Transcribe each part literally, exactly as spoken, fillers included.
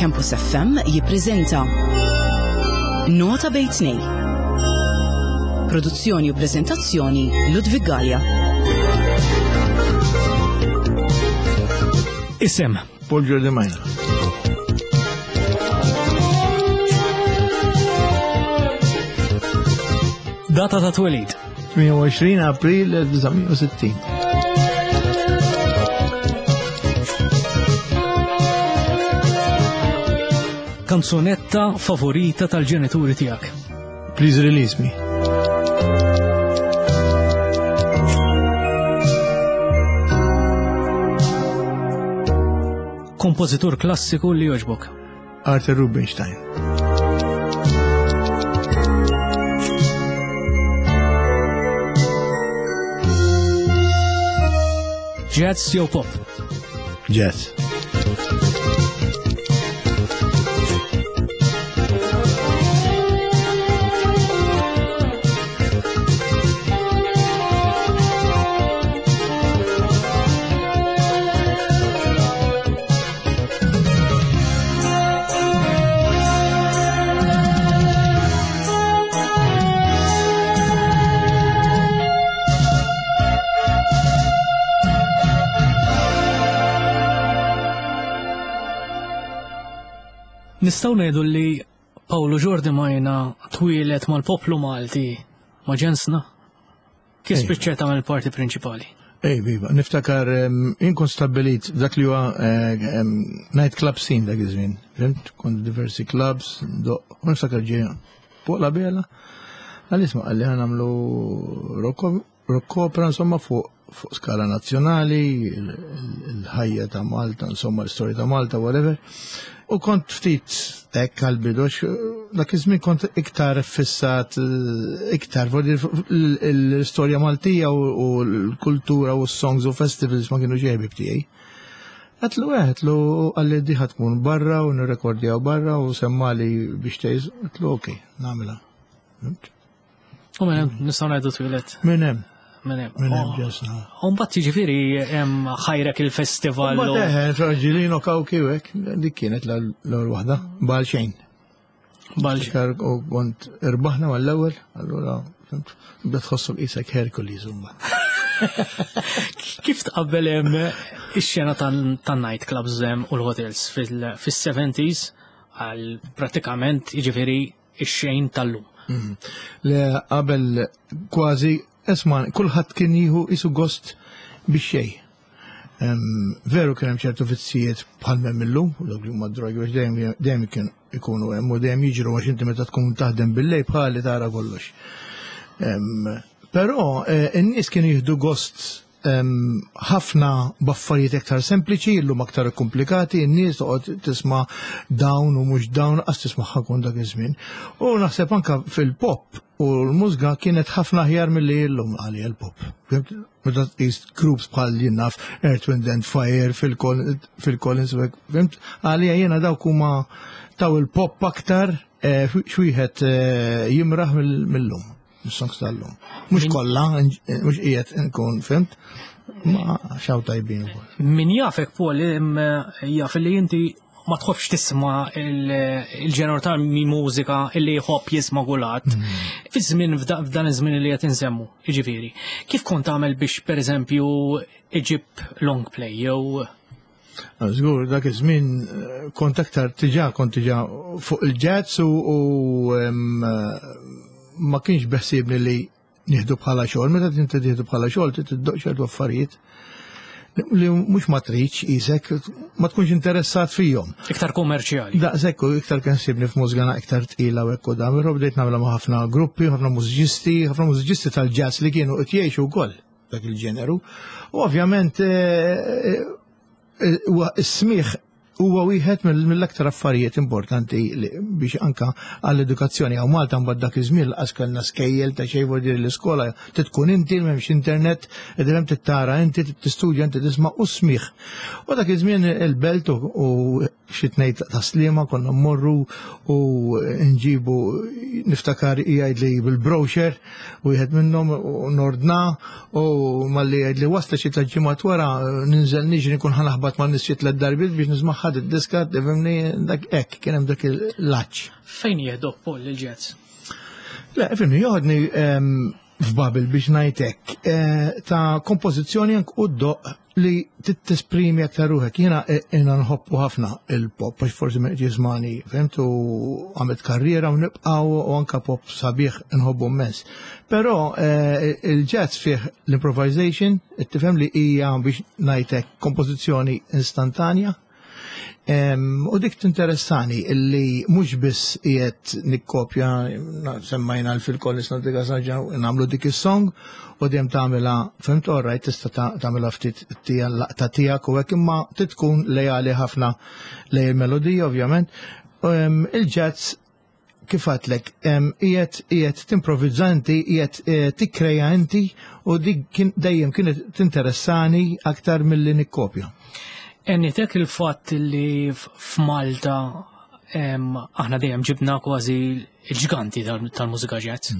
Campus F M jippreżenta Nota Bejn Tnejn. Produzzjoni u prezentazzjoni, Ludwig Gallia. Isem. Paul Giordi Majna. Data ta' twelid. tmienja u għoxrin April elf disa' mija u sittin. Kanzunetta favorita tal-ġenituri tiegħek. Please Release Me. Kompożitur klassiku li joġbok. Arthur Rubinstein. Jazz jew pop. Jazz. Nistgħu ngħidu li Paolo Giordimaina twieled mal-poplu Malti, ma' ġensna? Kif Ej. spiċċet tagħmel parti prinċipali? Ej, viva, niftakar em, jien kont stabbilit dak li huwa eh, em, night club scene dak iż-żmien. Fhimt? Kont diversi clubs, do, u niftakar ġie fuq la bela. Għal isma' qalli ħa nagħmlu rock rock opera, insomma, fuq fuq skala nazzjonali, il- il- il-ħajja ta' Malta, insomma, l-istorja ta' Malta, whatever. U kont ftit hekk għal-bidu, għax, dak iż-żmien kont iktar fissat, eh, iktar vuol dire, l-istorja Maltija u u l-kultura u s-songs u festivals ma kienu ġejbi tiegħi. Għedtlu għedtlu qalli di ħa tkun barra u nirrekordjaw barra u semmali biex tgħix, għedtlu ok, nagħmilha. Fhimt? U minn hemm nistgħu ngħidu twieled Minn hemm, minn hemm. minn hemm ġensna. U mbagħad jiġifieri hemm ħajrek il-festival. Ma u- teħe, Fragilino Kawki u hekk, dik kienet l-ewwel waħda, bal xejn. Bal Niftakar u kont irbaħna mal-ewwel, allura fhimt, bda tħossu qisek Hercules huma. Kif tqabbel hemm ix-xena tan-night clubs hemm u l-hotels fil-seventies għal pratikament jiġifieri ix-xejn tal-lum? Mhm. Le, qabel kważi, esma, kulħadd kien jieħu isu gost biex xejn. Em, Veru kien hemm ċertu vizzijiet bħal m'hemm illum, u dawk li huma drogi biex dejjem dejjem kien ikunu hemm u dejjem jiġru, għax inti meta tkun taħdem bil-lejl bħali tara kollox. Em, Però eh, in-nies kienu jieħdu gost em, ħafna b'affarijiet iktar sempliċi, illum aktar komplikati, in-nies toqgħod tisma' dawn u mhux dawn, qas tisma' ħakun dak iż-żmien. U naħseb anka fil-pop u l-mużika kienet ħafna aħjar milli illum għalija l-pop. Fhimt? Meta tqis groups bħal jien naf Earth, Wind and Fire, Phil Collins, Phil Collins, u hekk, fhimt? Għalija jiena dawk huma taw il-pop aktar eh, xwieħed eh, jimraħ mill- mill-lum, mis-songs tal-lum. Mhux kollha, mhux qiegħed nkun, fhimt, ma xaw tajbin ukoll. Min jafek, Paul, em, jaf li inti ma tħobbx tisma' il- il-ġener ta' mi mużika illi jħobb jisma' kulħadd. Fi żmien f'dan iż-żmien li qed insemmu, jiġifieri, kif kont tagħmel biex pereżempju iġib long play jew Żgur, dak iż-żmien eh, kont aktar tiġa kont tiġa fuq il-jazz u, u em, eh, ma kienx beħsiebni li nieħdu bħala xogħol. Meta inti tieħdu bħala xogħol trid tiddoq ċertu affarijiet li mhux ma tridx isek ma tkunx interessat fihom. Iktar kummerċjali? Daqshekk u iktar kien sibni f'mużgana iktar tqila u hekk u dan, però bdejt nagħmilha ma' ħafna gruppi, ħafna mużiċisti, ħafna mużiċisti tal-jazz li kienu qed jgħixu wkoll dak il-ġeneru. U ovvjament eh, eh, huwa is-smigħ huwa wieħed mill- mill-aktar affarijiet importanti li- biex anka għall-edukazzjoni għaw Malta. Mbagħad dak iż-żmien laqas kellna skejjel ta' xejn, vuol dire l-iskola tkun inti, m'hemmx internet, qed tittara inti, tistudja inti, tisma' u smigħ. U dak iż-żmien il-Belt u u xi tnejn ta' Sliema konna mmorru u nġibu, niftakar jgħid li bil-brochure u wieħed minnhom u nordna u malli jgħid li wasla xi tliet ġimgħat wara ninżel niġri nkun ħanaħbat ma' nies xi tliet darbiet biex nisma' id-diska, tifhimni, dak hekk kien hemm dak il-laċ. Fejn jieħdok Paul il-jazz? Le, fimni, joħodni f'bubble biex ngħidlek ta' kompożizzjoni anke u doq li tesprimi aktar ruħek. Jiena jiena nħobbu ħafna il-pop, għax forsi minn jismani, fhimt, u għamilt karriera u nibqgħu u anka pop sabiħ nħobbu immens. Però il-jazz fih l-improvisation, tifhem li hija biex ngħidlek kompożizzjoni instantanja. U dik tinteressani illi mhux biss qiegħed nikkopja, semmajna fil-kollis nadika saġa nagħmlu dik is-song u dejjem tagħmilha, fhimt, orrajt tista' tagħmilha ftit laqta tiegħek u hekk, imma tkun lejali ħafna lej il-melodija ovvjament. Il-jazz kif għedtlek, qiegħed qiegħed timprovizza inti, qiegħed tikkreja inti, u dik dejjem kienet tinteressani aktar milli nikkopja. Għenitek il-fatt li f'Malta aħna dejjem ġibna kważi il-ġganti tal-mużika jazz.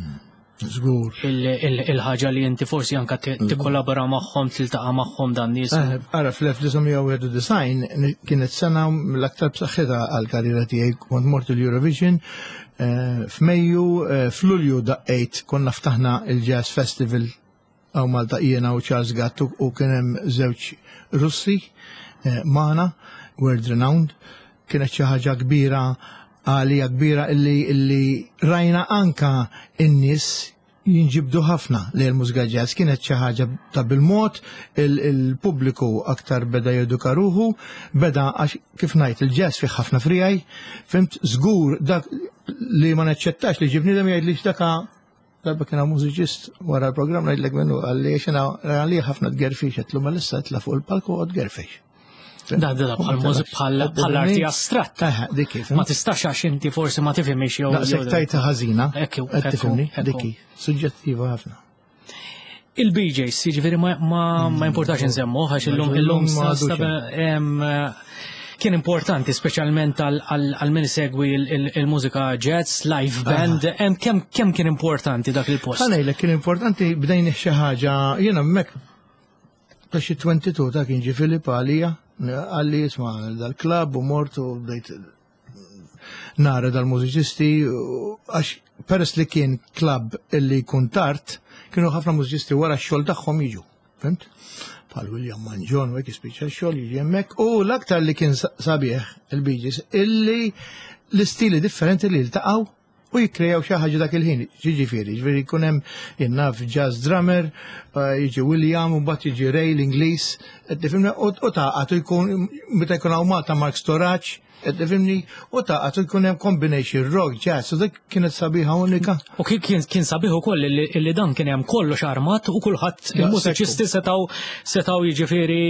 Żgur. Il-ħaġa li inti forsi anka tikkollabora magħhom, tiltaqa' magħhom dan nies. Ara fl-elf disa' mija u wieħed u disgħin kienet sena mill-aktar b'saħħitha għall-karriera tiegħi, kont mort il-Eurovision f'Mejju, f'Lulju daqqejt, konna ftaħna il-Jazz Festival għaw Malta jiena u Charles Gatt u kien hemm żewġ Russi magħna, world renowned. Kienet xi ħaġa kbira għalija, kbira illi illi rajna anka in-nies jinġibdu ħafna li l-mużika jazz. Kienet xi ħaġa ta' bil-mod, il-pubbliku aktar beda jeduka ruħu, beda għax kif ngħid il-jazz fih ħafna frijaj, fimt, żgur dak li ma naċċettax li ġibni dem jgħid li x'daka darba kien hawn mużiċist wara l-programm ngħidlek minnu għalli x'ina għalli ħafna tgerfix, qedlu ma issa tla fuq il-palku u tgerfix. Da, da, bħal bħal arti astratta. Ma tistax għax inti forsi ma tifhimx jew. Daqshekk tajta ħażina. Qed tifhimni, dik hi, suġġettiva ħafna. Il-B Js, jiġifieri ma importax nsemmu, għax illum illum kien importanti speċjalment għal min isegwi il-mużika jazz, live band, kemm kemm kien importanti dak il-post? Ħa ngħidlek kien importanti, bdejna xi ħaġa, jiena hemmhekk ta' xi twenty-two ta' kien ġie Filip għalija, għalli isma' dal-klabb u mort u bdejt nara dal-mużiċisti, għax peress li kien klabb illi jkun tard, kienu ħafna mużiċisti wara x-xogħol tagħhom jiġu, fimt? Bħal William Mangion u hekk jispiċċa x-xogħol jiġi hemmhekk, u l-aktar li kien sabiħ il-Bee Gees illi l-istili differenti li ltaqgħu u jikkrejaw xi ħaġa dak il-ħin. Jiġifieri, jiġifieri jkun hemm jinnaf jazz drummer, jiġi William u mbagħad jiġi Ray l-Ingliż, qed tifhimni, u taqgħad jkun meta jkun hawn Malta Mark Storace, qed tifhimni, u taqgħad jkun hemm combination rock, jazz, u dik kienet sabiħa unika. U kien kien sabiħ ukoll illi dan kien hemm kollox armat u kulħadd il-mużiċisti setgħu setgħu jiġifieri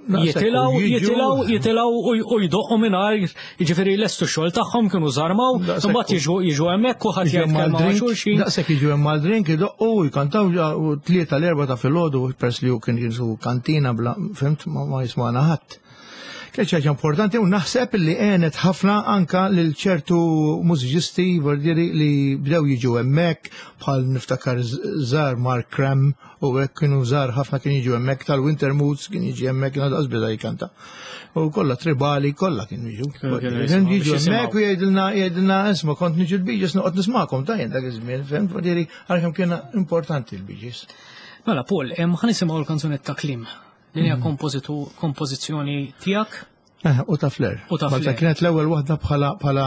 jitilgħu, jitilgħu, jitilgħu u jdoqqu mingħajr, jiġifieri lestu x-xogħol tagħhom kienu żarmaw, imbagħad jiġu jiġu hemmhekk u ħadd jgħid kelma ma' xulxin. Daqshekk jiġu hemm mal-drink, idoqqu u jkantaw u tlieta l-erba' ta' filgħodu, pers li hu kien jisu kantina bla, fimt, ma jismagħna ħadd. Kien xi ħaġa importanti u naħseb li għenet ħafna anka lil ċertu mużiċisti vordieri li bdew jiġu hemmhekk, bħal niftakar żar Mark Kram u hekk kienu żar ħafna kien jiġu hemmhekk, tal-Winter Moods kien jiġi hemmhekk, kien għadu beda jkanta. U kollha tribali, kollha kienu jiġu. Kien jiġu hemmhekk u jgħidilna, jgħidilna isma' kont niġu l-Bee Gees noqgħod nismagħkom ta' jien dak iż-żmien, fhimt, vordieri għalkemm kien importanti l-Bee Gees. Mela Paul, ħa nisimgħu l-kanzunetta Klim. Din hija kompożizzjoni tiegħek? Eh, u ta' Flair. U ta' Malta Flair. Kienet l-ewwel waħda bħala, bħala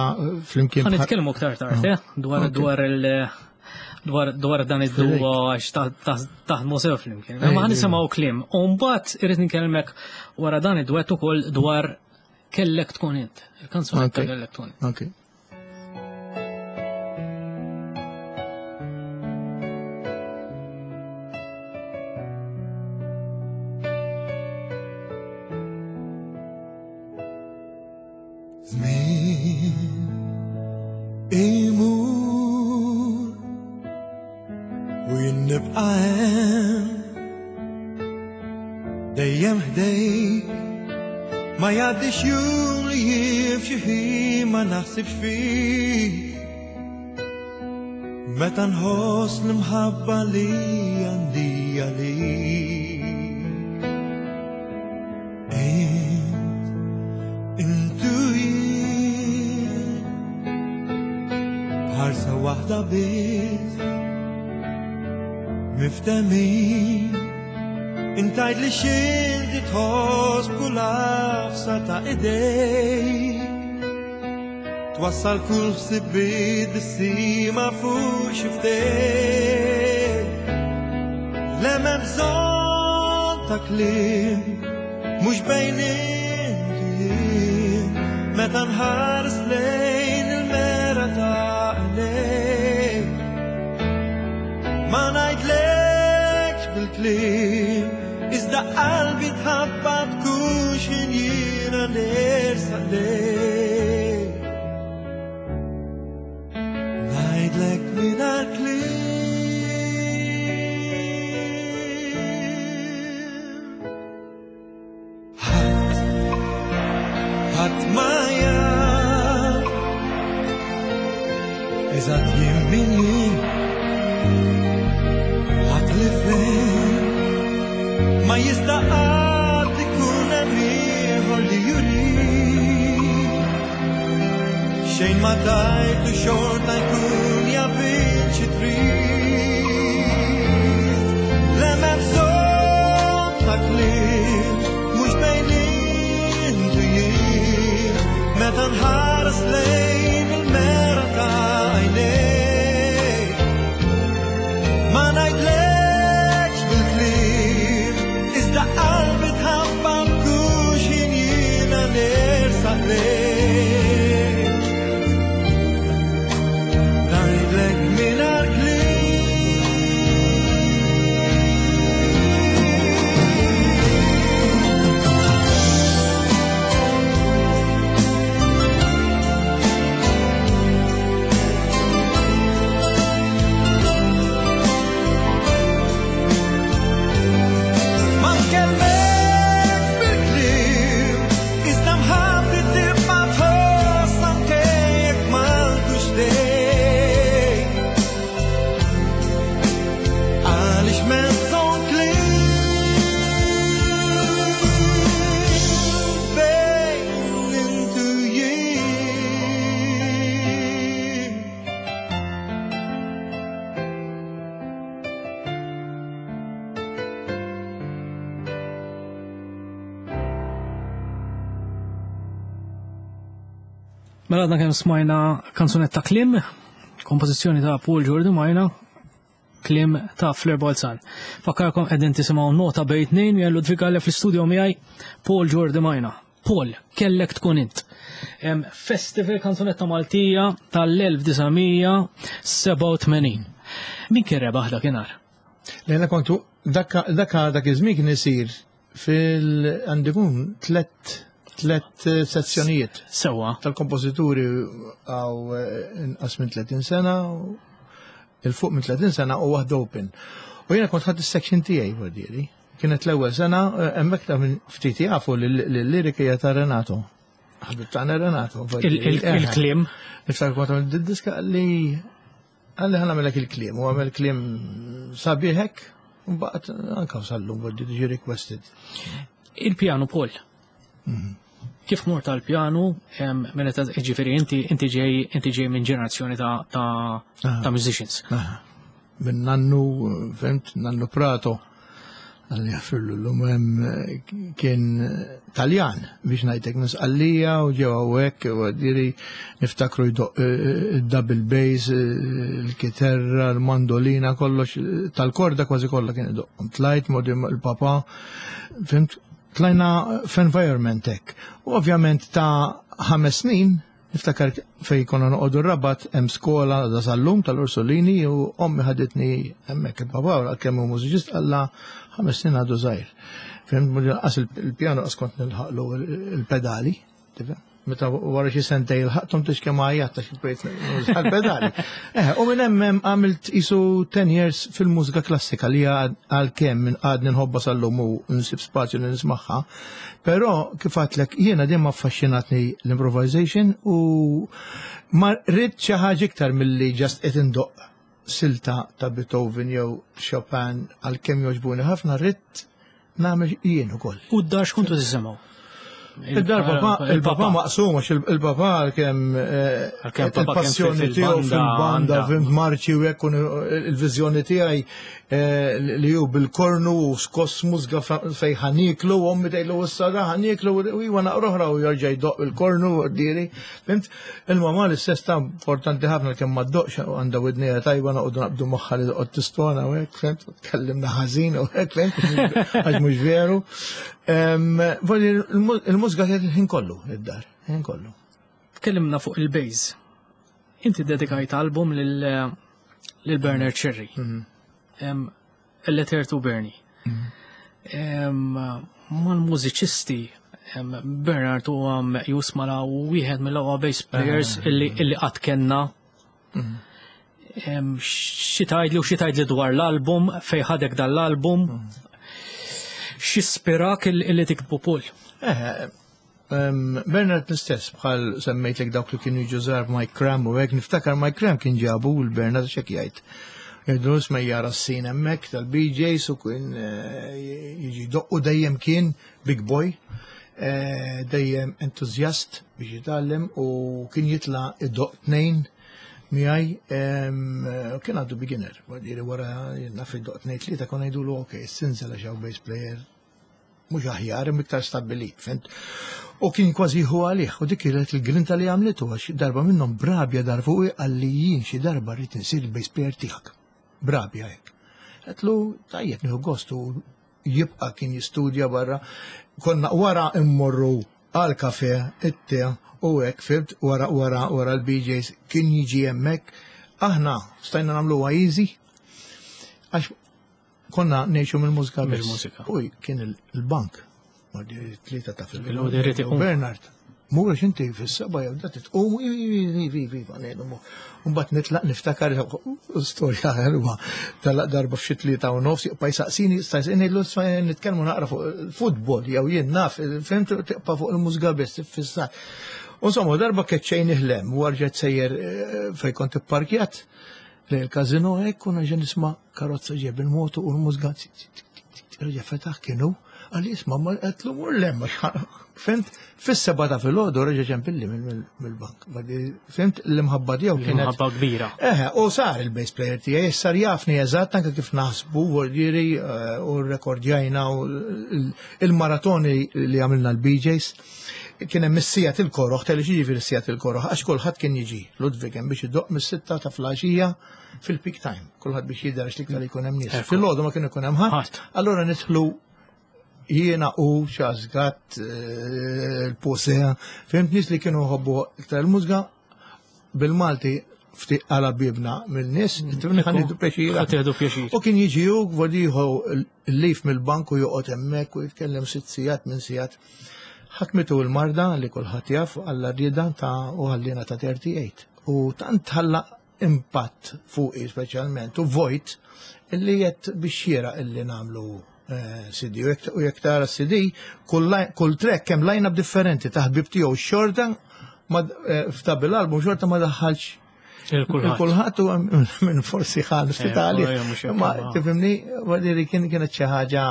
flimkien. Ħa nitkellmu aktar tard, eh, dwar, dwar il, dwar, dwar dan id-duo għax taħdmu sew flimkien. Imma ħa nisimgħu Klim. U mbagħad irrid nkellmek wara dan id-duett ukoll dwar Kellek tkun int. Il-kanzunetta Kellek tkun int. Ok. Dejjem ħdejk, ma jgħaddix jum li jien f'xi ħin ma naħsibx fik. Meta nħoss l-imħabba li għandi għalik. Int, Waħda biss Miftemin Intajt li xinti tħoss kull għafsa ta' idejk Twassal kull ħsibiet bissima fuq xiftejk Le m'hemm bżonn ta' kliem mhux bejn int u jien Meta nħares lejn il-mera ta' għajnejk Ma ngħidlekx bil-kliem Iżda qalbi tħabbat kull x'ħin jiena nersaq lejk Ngħidlek mingħajr kliem Ħadd ħadd ma jaf Eżatt jien min jien Ħadd li fejn Ma jista' qatt ikun hemm ieħor li juri Xejn ma tajtu xorta jkun jaf int xi trid Le m'hemm bżonn ta' kliem mhux bejn int u jien Meta nħares lejn il-mera ta' għajnejk Ma ngħidlekx bil-kliem Iżda qalbi tħabbat kull x'ħin jiena nersaq lejk Ngħidlek mingħajr kliem Ma nkellmek bil-kliem Iżda mħabbti tibqa' tħoss anke jekk ma nkunx lejk Għaliex m'hemm bżonn kliem bejn int u jien Mela għadna kemm smajna kanzunetta Klim, kompożizzjoni ta' Paul Giordimaina, Klim ta' Fleur Balzan. Fakkarkom qegħdin tisimgħu Nota Bejn Tnejn jien Ludwig Galea fl-istudio miegħi Paul Giordimaina. Paul, kellek tkun int. Em, Festival Kanzunetta Maltija tal-elf disa' mija sebgħa u tmenin. Min kien rebaħ dakinhar? Lejna kontu, dak dak iż-żmien kien isir fil għandikun tlet, tlet sezzjonijiet. Sewwa. Tal-kompożituri għaw, eh, inqas minn tletin sena, il-fuq minn tletin sena u waħda open. U jiena kont ħadd is-section tiegħi vuol Kienet l-ewwel sena, eh, hemmhekk ta' minn ftit jafu li l-lirika hija ta' Renato. Ħabib tagħna Renato, vuol Il-, dire. il-, Eh, Il-kliem. Niftakar kont għamilt id-diska li għalli ħa nagħmellek il-kliem, u għamel kliem sabiħek, u baqgħet anke sallum, vuol dire, ġi requested. Il-pjanu, Paul. Mhm. Kif mort tal-pjanu, em, minn meta, ġifieri, inti, inti ġej, inti ġej minn ġenerazzjoni ta', ta', Aha. ta' musicians. Aha. Minn nannu, fimt, nannu Prato, għalli jaffirlu l-lum, em, kien Taljan, biex ngħidlek minn Sqallija u ġew hawnhekk, u għaddiri niftakru jdoq, eh, il-double bass, eh, il-kiterra, il-mandolina, kollox, tal-korda kważi kollha kien idoq. Tlajt modi il-papa, fimt, tlajna f'environment hekk. U ovvjament ta' ħames snin, niftakar fej konna noqogħdu r-Rabat, hemm skola da sal-lum tal-Ursolini u ommi ħaditni hemmhekk il-papa kemm hu mużiċist qalla ħames snin għadu żgħir. Fimt, mhux qas il-pjano qas kont nilħaqlu il-pedali, tifhem? Meta wara xi sentej il-ħaqthom tix kemm għajjat għax bdejt nuża l-pedali. Eh, u minn hemm hemm għamilt isu ten years fil-mużika klassika li għalkemm minn għadni nħobba sal-lum u nsib spazju li nismagħha. Però kif għedtlek jiena dejjem affaxxinatni l-improvisation u ma rrid xi ħaġa iktar milli just qed indoqq silta ta' Beethoven jew Chopin għalkemm jogħġbuni ħafna, rrid nagħmel jien ukoll. U d-dar x'kontu tisimgħu? Id-dar papà, il-papà maqsum, għax il-papà kemm il-passjoni tiegħu fil-banda, fil-marċi u hekk il-viżjoni tiegħi li hu bil-kornu u skoss mużga fejn ħaniklu, u ommi tgħidlu issa da ħaniklu u iwa naqra oħra u jerġa' jdoqq il-kornu u diri. Fhimt? Il-mamà l-istess ta' importanti ħafna kemm ma ddoqx għandha widnejha tajba noqogħdu naqbdu magħha li toqgħod tistona u hekk, fhimt? Tkellimna ħażin u hekk, fhimt? Għax mhux veru. Il-mużika kienet il-ħin kollu id-dar, il-ħin kollu. Tkellimna fuq il-bass. Inti dedikajt album lil Bernard Scerri. A Letter to Bernie. Mal-mużiċisti, Bernard huwa meqjus mala wieħed mill-aqwa bass players illi qatt kellna. Xi tgħidli u xi tgħidli dwar l-album, fejn ħadek dan l-album, x'ispirak illi tiktbu Paul? Bernard l-istess, bħal semmejtlek dawk li kienu jiġu żgħar Mike Cram u hekk, niftakar Mike Cram kien ġabu l-Bernard x'hekk jgħid. Jgħidu isma' jara s-sin hemmhekk tal-B Js u kien jiġi doqqu dejjem kien big boy, dejjem entużjast biex jitgħallem u kien jitla' idoq tnejn miegħi, kien għadu beginner, jiġifieri wara naf idoq tnejn tlieta konna ngħidulu ok, sinżel għax hawn bass player mhux aħjar imma iktar stabbilit, fhimt? U kien kważi jieħu għalih, u dik kienet il-grinta li għamlitu għax darba minnhom brabja dar fuqi qalli jien xi darba rrid insir il-bass player tiegħek. Brabja hekk. Għedtlu tajjeb nieħu gost u jibqa' kien jistudja barra. Konna wara immorru għal kafe, it-te u hekk, fhimt, wara wara wara l-B Js kien jiġi hemmhekk. Aħna stajna nagħmluha easy għax konna ngħixu mill-mużika biss. Mill-mużika. U kien il-bank. Tlieta ta' fil- Bil-għodi rrid iqum. Bernard, mur għax inti fis-seba' jew da titqum, i, i, i, i, i, i, ngħidu mu. U mbagħad nitlaq niftakar storja ħelwa tal darba f'xi tlieta u nofs jibqa' jsaqsini, jistaqsini, ngħidlu isma' nitkellmu naqra fuq il-futbol jew jien naf, fhimt, tibqa' fuq il-mużika biss tiffissar. U insomma darba keċċejn iħlem u rġgħet sejjer, eh, fejn kont ipparkjat lejn il-każino hekk u nerġa' nisma' karozza ġej bil-moto u l-mużika reġa' fetaħ kienu. Għalli isma' ma qedlu mur lem, fhimt, fis-seba' ta' filgħodu reġa' ġempilli mill-bank. Fhimt, l-imħabba tiegħu kienet L-imħabba kbira. Eħe, u sar il-bass player tiegħi, sar jafni eżatt anke kif naħsbu, jiġifieri, eh, u rrekordjajna u il-maratoni li għamilna l-B Js. Kien hemm is-sija til-koroħ, tgħidli xi jiġifieri s-sija til-koroħ, għax kulħadd kien jiġi Ludwig hemm biex idoqq mis-sitta ta' filgħaxija fil-peak time, kulħadd biex jidher għax l-iktar jkun hemm nies. Ekku. Filgħodu ma kien ikun hemm ħadd. Ħadd. Allura nidħlu jiena u xażgat, eh, il-posea, fhimt, nies li kienu jħobbu iktar il-mużika bil-Malti ftit għala bibna mill-nies, Mm. tifhimni, ħa nieħdu pjaċir. Ħa tieħdu pjaċir. U kien jiġi hu, għod jieħu l-lif mill-bank u joqgħod hemmhekk u jitkellem sitt sigħat minn sigħat. Ħakmitu l-marda li kulħadd jaf għalla rieda ta' u ħallina ta' thirty-eight. U tant ħalla impatt fuqi speċjalment u vojt illi jett biex xiera illi nagħmlu, eh, C D. U jekk, u jekk tara C D, kull li-, kull track hemm line-up differenti ta' ħbib tiegħu xorta ma, eh, f'ta' bil-album xorta ma daħħalx Il-kulħadd. Il-kulħadd huwa minn forsi ħal ftit Eh, għalih. eh, mhux hekk, Ma ma. tifhimni, voldiri kien kienet xi ħaġa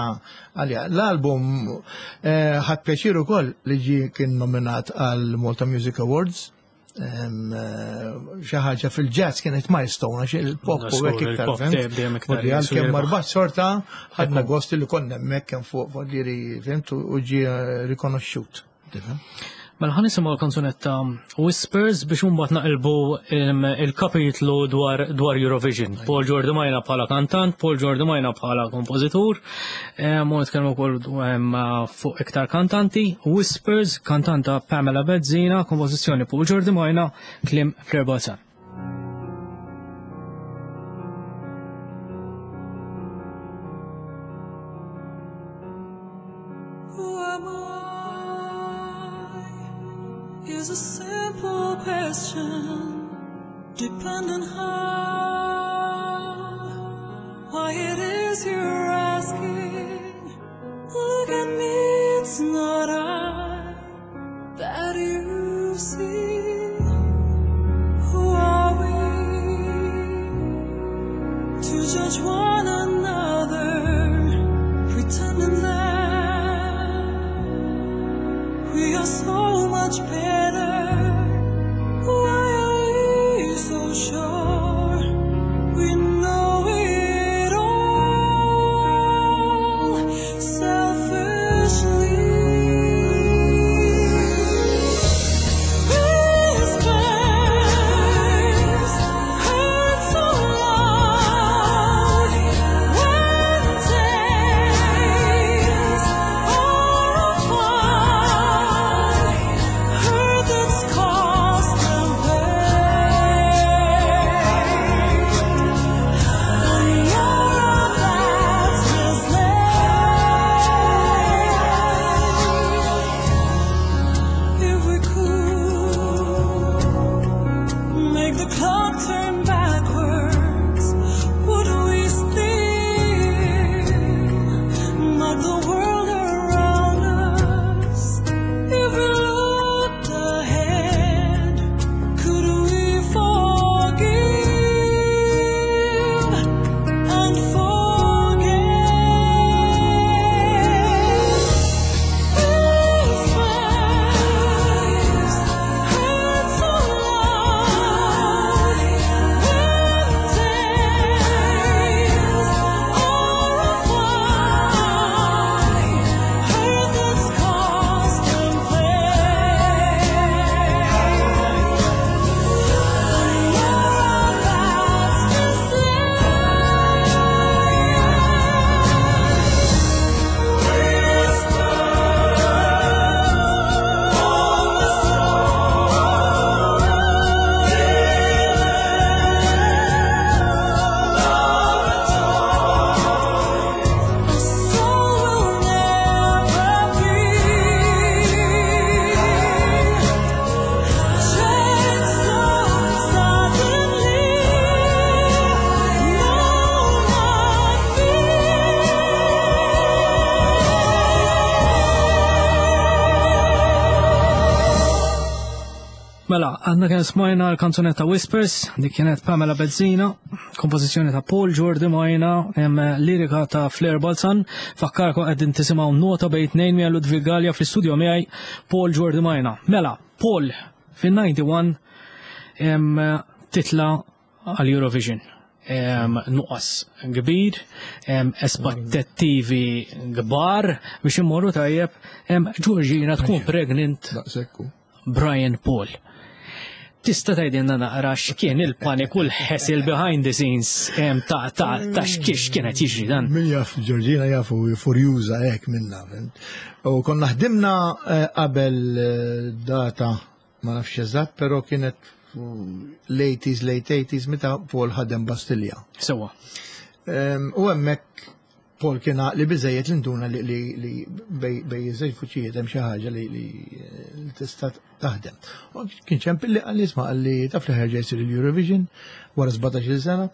għalija. L-album, eh, ħadd pjaċir ukoll li ġie kien nominat għal Malta Music Awards. Em, eh, xi ħaġa fil-jazz kienet milestone għax il-pop u hekk Żgur, iktar, il-pop fhimt? dejjem, dejjem iktar Voldiri, għalkemm jiswir. marbat sorta ħadna gost li konna hemmhekk kemm fuq, voldiri, fhimt, u ġie rikonoxxut. Tifhem? Mela ħa nisimgħu l-kanzunetta Whispers biex imbagħad naqilbu, em, il-kapitlu dwar, dwar Eurovision. Paul Giordimaina bħala kantant, Paul Giordimaina bħala kompożitur, em, u nitkellmu wkoll, em, fuq iktar kantanti. Whispers, kantanta Pamela Bezzina, kompożizzjoni Paul Giordimaina, kliem Claire Balzan. Is a simple question, depending how, why it is you're asking. Look at me, it's not I that you see. Who are we to judge one another, pretending that we are much better. Why are we so sure we know it all? Selfishly. Whispers heard so loud when days are apart. Heard that's caused them pain. You're a bad slave. If we could make the clock turn backwards, would we still knock the world around us? If we looked ahead, could we forgive and forget? Whispers heard so loud when days are apart. Heard that's caused them pain. You're a bastard A soul will never be changed so suddenly. No, not Mela, għandna kien smajna l-kanzunetta Whispers, dik kienet Pamela Bezzina, kompożizzjoni ta' Paul Giordimaina, hemm lirika ta' Flair Balzan, fakkarkom qegħdin tisimgħu Nota Bejn Tnejn miegħi Ludwig Galea fl-istudio miegħi Paul Giordimaina. Mela, Paul fin-disgħa u disgħin hemm titla għal Eurovision. Em, Nuqqas kbir, em, aspettattivi kbar biex immorru tajjeb, em, Georgina tkun pregnant Daqsekku. Brian Paul. Tista' tgħidilna naqra x'kien il-panik u l-hassle behind the scenes em, ta' ta' ta' x'kiex kienet jiġri dan. Min jaf Georgina jafu furjuża hekk minna. Fhimt? U konna ħdimna eh, qabel eh, data ma nafx eżatt, però kienet l-eighties, late eighties, meta Paul ħadem Bastilja. Sewa. Em, U hemmhekk Paul kien li biżejjed li nduna li li li bejn bejn iż-żewġ vuċijiet hemm xi ħaġa li li li tista' taħdem. U kien ċempilli, qalli, "Isma'," qalli, "taf li ħerġa jsir il-Eurovision wara sbatax-il sena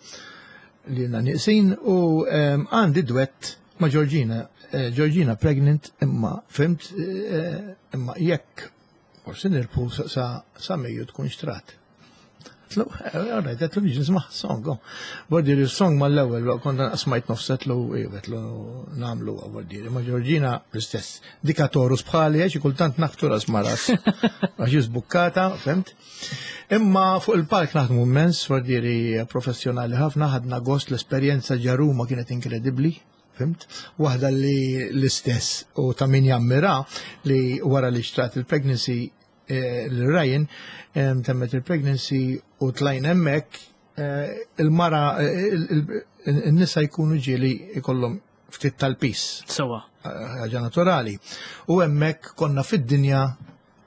li għandna nieqsin u em, għandi duett ma' Georgina, eh, Georgina pregnant, imma fhimt, eh, imma jekk forsi nirbħu sa- sa sa Mejju tkun xtrat." Għedtlu, "Alright," għedtlu, "biex nisma' song, oh." Bordiri, song mal-ewwel, kont smajt nofs, għedtlu, għedtlu, "Nagħmlu," bordiri, ma' Georgina l-istess. Dika Taurus bħali, għax kultant naħbtu ras ma ras. Għax żbukkata, fhimt? Imma fuq il-palk naħdmu immens, bordiri, professjonali ħafna, ħadna gost, l-esperjenza ġo Ruma kienet inkredibli. Fhimt? Waħda li l-istess u ta' min jammira li wara li xtrat il-pregnancy eh, l-Ryan em, temmet il-pregnancy u tlajna hemmhekk, eh, il-mara eh, il- il- il-nisa jkunu ġieli ikollhom ftit tal-pis, Sewa. ħaġa naturali. U hemmhekk konna fid-dinja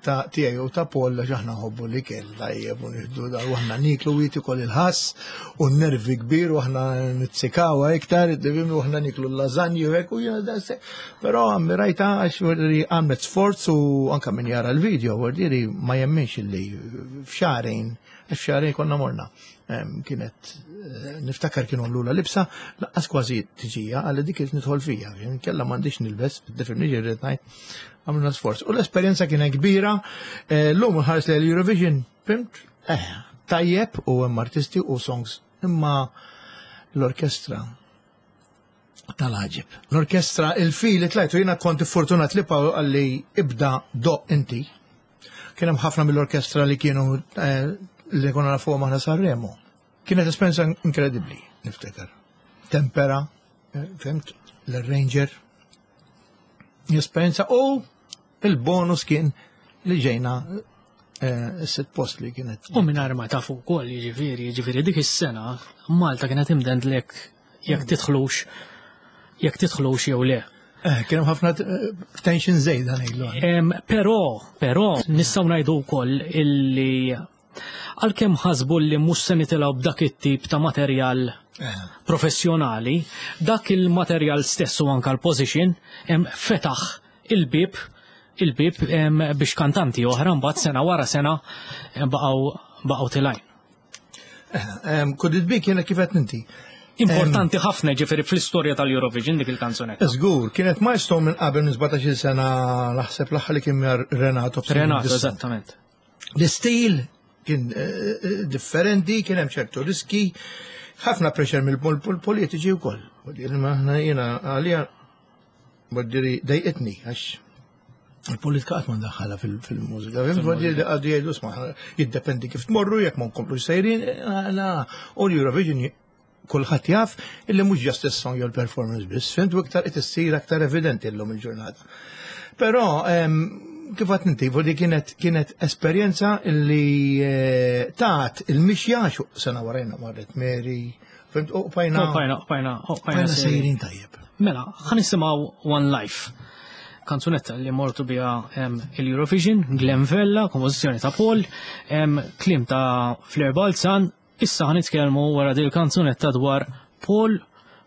ta' tiegħi u ta' Paul, għax aħna nħobbu li kell tajjeb u nieħdu da u aħna niklu u jiti il-ħass u nervi kbir u aħna nitzikawa iktar, tifhimni, u aħna niklu l-lażanji u hekk u jiena da se. Però ammirajta għax vordi għamlet sforz u anka min jara l-video vordi ma jemminx illi f'xahrejn, għax f'xahrejn konna morna. Em, Kienet, eh, niftakar kienu għamlula libsa, lanqas kważi tiġija, għalli dik kienet nidħol fija, kella m'għandix nilbes, tifhimni x'irrid ngħid, għamluna sforz. U l-esperjenza kienet kbira, eh, l-lum nħares li l-Eurovision, fhimt, eh, tajjeb u hemm artisti u songs, imma l-orkestra tal-għaġeb. L-orkestra, il-fili tlajtu, jiena kont fortunat li Paul qalli, "Ibda doqq inti." Kien hemm ħafna mill-orkestra li kienu eh, li konna nafuhom aħna Sanremo. Kienet esperjenza inkredibbli, niftakar. Tempera, eh, fhimt, l-arranger. Esperjenza u il-bonus kien li ġejna eh, s-sitt post li kienet. U mingħajr ma tafu wkoll, jiġifieri, jiġifieri dik is-sena Malta kienet imdendlek jekk tidħlux jekk tidħlux jew le. Eh, kien hemm ħafna eh, tension żejda ngħidlu. Em, Però, però, nistgħu ngħidu wkoll illi għalkemm ħasbu li mhux se nitilgħu b'dak it-tip ta' materjal professjonali, dak il-materjal stess u anka l-position em, fetaħ il-bib il-bib em, biex kantanti oħra mbagħad sena wara sena em, baqgħu baqgħu telgħin. Could it be kienet kif qed inti. Importanti ħafna ġifieri fl-istorja tal-Eurovision dik il-kanzunetta. Żgur, kienet milestone minn qabel minn sbatax-il sena naħseb l-aħħar li kien mar Renato. Renato, eżattament. L-istil kien eh, eh, differenti, kien hemm ċertu riski, ħafna pressure mill-politiċi wkoll. Voldiri, ma aħna jiena għalija voldiri dejqitni għax il-politika qatt ma ndaħħalha fil- fil-mużika. Voldiri għadu jgħidu isma' jiddependi kif tmorru, jekk ma nkomplux sejrin, eh, la. U l-Eurovision kulħadd jaf illi mhux just is-song jew l-performance biss, fhimt u iktar qed issir aktar evidenti llum il-ġurnata. Però em, kif għedt inti, vodi kienet kienet esperjenza illi eh, tat il-mixja xu sena warajna marret Mary, fhimt, u bqajna U bqajna, bqajna, u bqajna bqajna sejrin. sejrin tajjeb. Mela, ħa nisimgħu One Life. Kanzunetta li mortu biha em, il-Eurovision, Glenn Vella, kompożizzjoni ta' Paul, em, kliem ta' Fleur Balzan. Issa ħa nitkellmu wara dil kanzunetta dwar Paul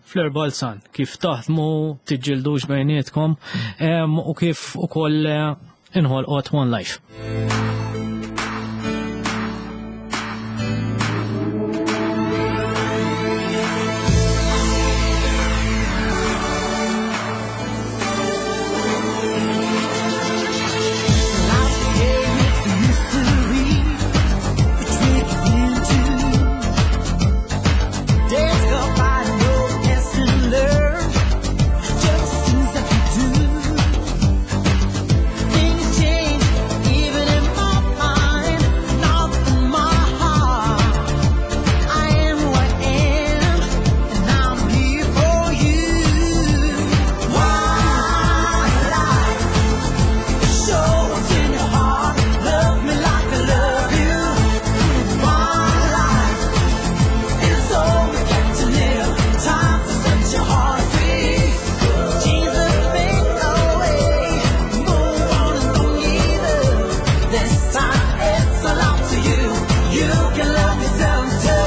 Fleur Balzan, kif taħdmu, tiġġildux bejnietkom, em, u kif ukoll eh, inħolqot One Life. Days go by, no lesson learned. Just seems that you do. Things change, even in my mind, not in my heart. I am who I am, and I'm here for you. Why life? Show what's in your heart. Love me like I love you. Why life? It's all we get to live. Time to set your heart free. Jesus, make a way. Move on and don't give up. This time it's all up to you. You can love yourself too.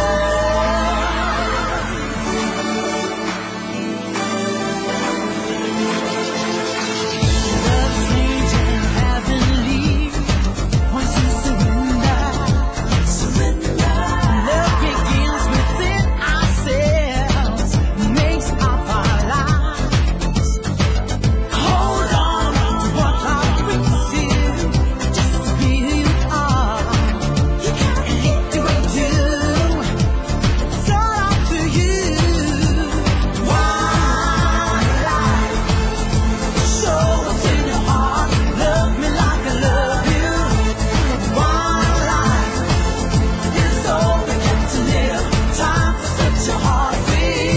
Love strange and heavenly. Once you surrender, surrender. Love begins within ourselves, makes up our lives. Hold on to what life brings you, just to be who you are. You gotta hit the way too. It's all up to you. Why life? Show what's in your heart. Love me like I love you. Why life? It's all we get to live. Time to set your heart free.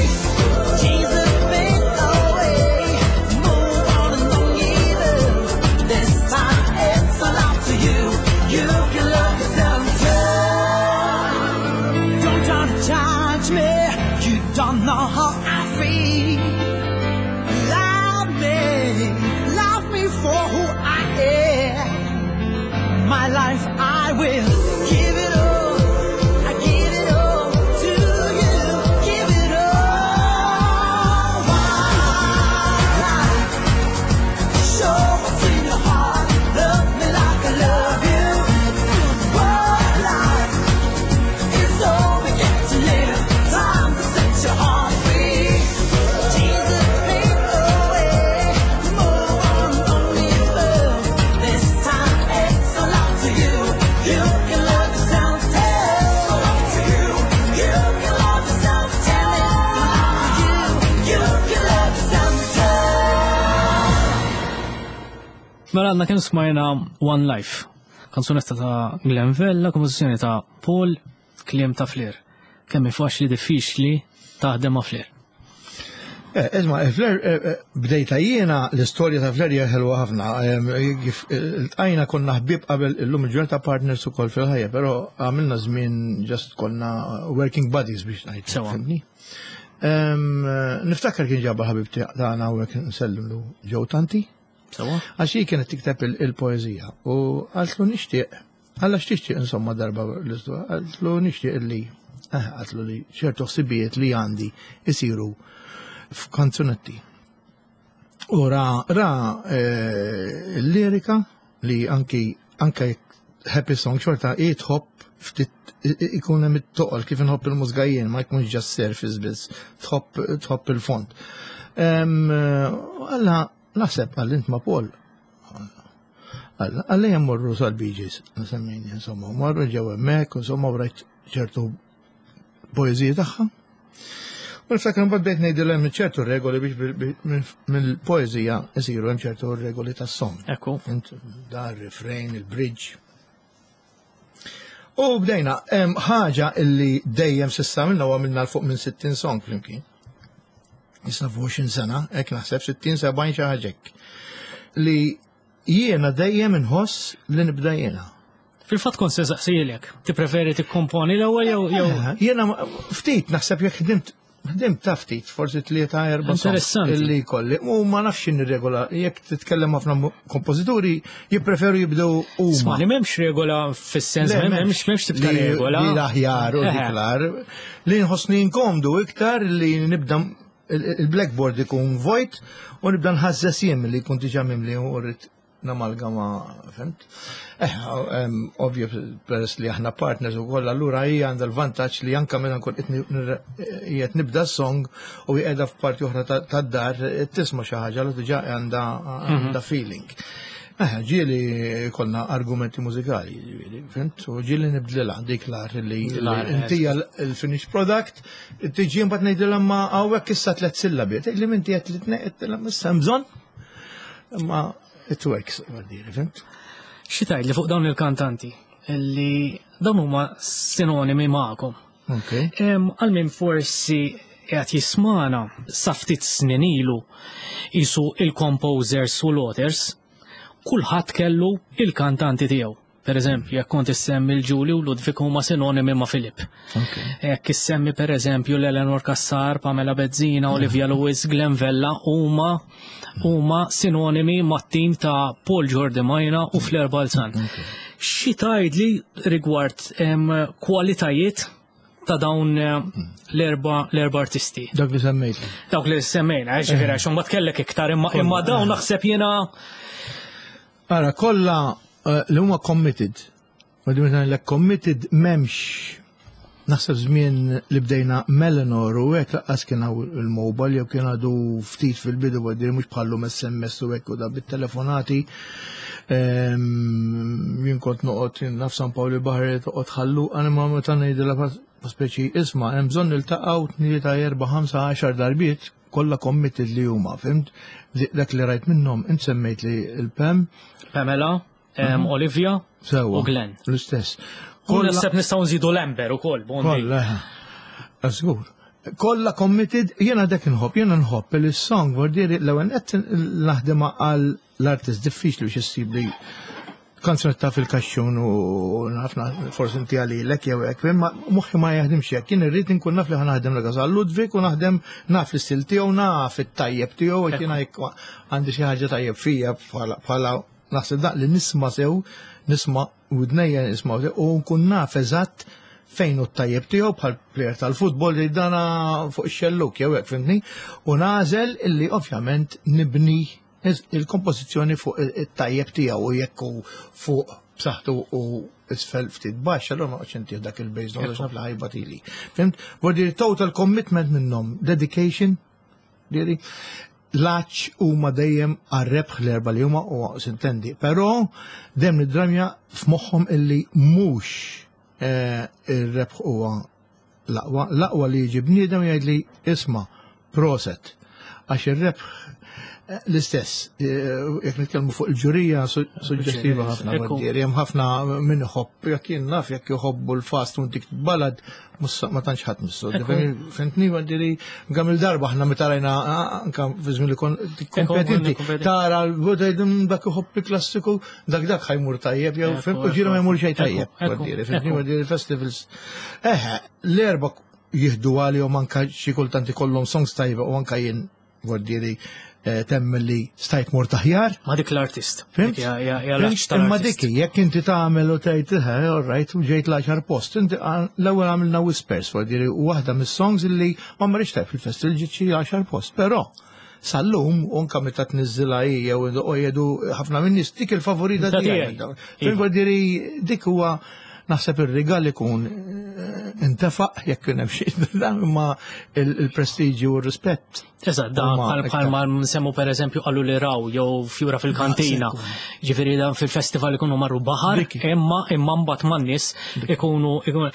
Jesus, make a way. Move on and don't give up. This time it's all up to you. You can love yourself too. Don't try to judge me. You don't know how I feel. Love me, love me for who I am. My life I will give it all. I give it all to you. Give it all. My life. Show what's in your heart. Love me like I love you. What life is all we get to live. Time to set your heart free. Jesus, make a way. Move on, don't give up. This time it's all up to you. You can love yourself. It's all up to you. You can love yourself. Tell it's all up to you. You can love yourself. Mela għadna kemm smajna One Life. Kanzunetta ta' Glenn Vella, kompożizzjoni ta' Paul, kliem ta' Flair. Kemm hi faċli, diffiċli taħdem ma' Flair? Eh, Isma, eh, Flair, eh, eh, bdejta jiena, l-istorja ta' Flair hija ħelwa ħafna. Em, Kif iltqajna konna ħbieb qabel, illum il-ġurnata partners ukoll fil-ħajja, però għamilna żmien just konna working buddies biex ngħid. Sewa. Fhimtni? Em, Niftakar kien ġabba ħabib tagħna hawnhekk, nsellimlu, Joe Tanti. Sewa? Għax hi kienet tikteb il- il-poezija u qaltlu nixtieq, għalla x'tixtieq insomma darba l-istorja, qaltlu nixtieq li, eh, qaltlu li ċertu ħsibijiet li għandi isiru f'kanzunetti. U ra, ra eh, l-lirika li anki anke jekk happy song xorta i tħobb ftit i- i- ikun hemm it-toqol kif inħobb il-mużika jien, ma jkunx just surface biss, tħobb tħobb il-fond. Em, Alla naħseb għall int ma' Paul. Alla, għalla jemmorru sal-Bee Gees, nsemmini, insomma, marru ġew hemmhekk, insomma, u rajt ċertu poeziji tagħha. U niftakar mbagħad bdejt ngħidilha hemm ċertu regoli biex bil- bil- mill-poeżija isiru hemm ċertu regoli tas-song. Ekku. Int dar refrain, il-bridge. U bdejna, hemm ħaġa illi dejjem s'issa għamilna u għamilna 'l fuq minn sittin song flimkien. Issa fuq għoxrin sena, hekk naħseb sittin, sebgħin, xi ħaġa hekk. Li jiena dejjem inħoss li nibda jiena. Fil-fatt kont se saqsilek, tippreferi tikkomponi l-ewwel jew jew Eh, Jiena ma- ftit naħseb jekk ħdimt ħdimt ta' ftit, forsi tlieta, erba' songs Interessanti. illi kolli. U ma nafx regola, jekk titkellem ħafna mu- kompożituri jippreferu jibdew huma. Isma' li m'hemmx regola fis-sens, Le, m'hemmx m'hemmx tibta Li- regola. Li l-aħjar u Eħe. dik l-ar. Li nħossni inkomdu iktar li nibda il- il-blackboard ikun vojt u nibda nħazzes jien li jkun diġà mimli u rrid namalgama, fhimt? Eh, em, ovvju, peress li aħna partners u koll, allura hija għandha l-vantaġġ li anka meta nkun qed nir- qiegħed nibda song u hi qiegħda f'parti oħra ta- tad-dar tisma' xi ħaġa li diġà għandha għandha feeling. Eh, ġieli konna argumenti mużikali, ġieli, fhimt? U ġieli nibdlilha dik l-ar li li L-ar, inti il-finished product, tiġi mbagħad ngħidilha ma hawnhekk issa tliet sillabi. Tgħidli minti qed li tneqed issa hemm bżonn. Ma it works, għaddiri, fhimt? Xi tgħid li fuq dawn il-kantanti li dawn huma sinonimi magħkom? Ok. Em, Għal min forsi qed jismana, sa ftit snin ilu jisu il-composers u l-authors, kulħadd kellu il-kantanti tiegħu. Per eżempju, jekk kont issemmi l-Ġuli u Ludwig, huma sinonimi ma' Filip. Ok. Jekk issemmi per eżempju l-Eleanor Cassar, Pamela Bezzina, Olivia Lewis, Glenn Vella, huma huma sinonimi mat-tim ta' Paul Giordimaina u Flair Balzan. Xi tgħidli rigward em, kwalitajiet ta' dawn eh, l-erba l-erba artisti? Dak li semmejt. Dawk li semmejna, eh, ġifieri għax imbagħad kellek iktar, imma imma dawn naħseb jiena. Ara, kollha eh, li huma committed. Ma di meta ngħidlek committed, m'hemmx, naħseb żmien li bdejna Melanor u hekk laqqas kien hawn il-mobile jew kien għadu ftit fil-bidu, għaddir mhux bħallum S M S u hekk u da bit-telefonati. Ehm, Jien kont noqgħod naf San Pawl il-Baħar, toqgħod ħallu għana ma meta ngħidilha pa speċi isma' hemm bżonn niltaqgħu tlieta, erba', ħamsa, għaxar darbiet, kollha committed li huma, fhimt? Dak li rajt minnhom, int semmejt li il-Pam, Pamela, em, Olivia Sewa. u Glenn. L-istess. U naħseb nistgħu nżidu l-Amber ukoll, Bondi. Kollha, eh, żgur. Kollha committed, jiena dak nħobb, jiena nħobb il-song, vordiri, l-ewwel qed naħdem għal l-artist, diffiċli biex issib li kanzunetta fil-kaxxun u ħafna forsi inti għalilek jew hekk, imma moħħi ma jaħdimx hekk. Jien irrid inkun naf li ħa naħdem l għal Ludwig u naħdem naf l-istil tiegħu, naf it-tajjeb tiegħu, għax jiena jekk għandi xi ħaġa tajjeb fija bħala bħala naħseb dak li nisma' sew, nisma' widnejja nisma' sew u nkun naf eżatt fejn hu t-tajjeb tiegħu, bħal player tal-futbol li dana fuq ix-xelluk jew hekk, fhimtni, u nagħżel illi ovvjament nibni il-kompożizzjoni fuq it-tajjeb tiegħu, u jekk hu fuq b'saħħtu u isfel ftit baxx, allura ma qgħodx intih dak il-bass note għax naf li ħajbatili. Fhimt? Vuol total commitment minnhom, dedication, diri, laċ huma dejjem għar-rebħ l-erba li huma u sintendi. Però dejjem nidramja f'moħħhom illi mhux eh, ir-rebħ huwa l-aqwa, l-aqwa li jiġi bniedem jgħid li isma' proset. Għax ir-rebħ Eh, L-istess, eh, jekk nitkellmu fuq il-ġurija su- suġġestiva ħafna Ekku. għaddieri, hemm ħafna min iħobb, jekk jien naf jekk jħobbu l-fast u dik ballad, mhux ma tantx ħadd missu. Fhimtni għaddieri, gam il-darba aħna meta rajna ah, anka fi żmien li kon kompetenti, kompetenti. tara l-buda dak iħobb il-klassiku, dak dak ħa jmur tajjeb, jew Ekku, fhimt, u ġieli ma ekku. jmur xejn Ekku, tajjeb. ekku, għaddieri, fhimtni ekku. għaddieri festivals. Eħe, l-erba jihdu għalihom anka xi kultant ikollhom songs tajba u anka jien għaddieri temm li stajt mort aħjar. Ma dik l-artist. Fhimt? Dik hija- hija hija Fhimt? l-aċ Imma tal-artist. dik jekk inti tagħmel u tgħid eh, all right, u ġejt l-għaxar post, inti għal- l-ewwel għamilna Whispers, għaddieri u waħda mis-songs illi ma marriċ tajb fil-festival ġiet xi għaxar post, però sal-lum unka meta tniżżilha hi jew u jgħidu ħafna minn nies dik il-favorita Ta' tiegħi. tiegħi. Fhimt għaddieri dik huwa naħseb ir-rigal ikun eh, intefaq jekk kien hemm xi dan imma il-prestiġju u r-rispett. Eżatt, da Huma bħal iktar. bħal ma nsemmu per eżempju qalu li raw jew fjura fil-kantina. Ġifieri dan fil-festival ikunu marru baħar, Dik. imma imma mbagħad man-nies ikunu ikunu.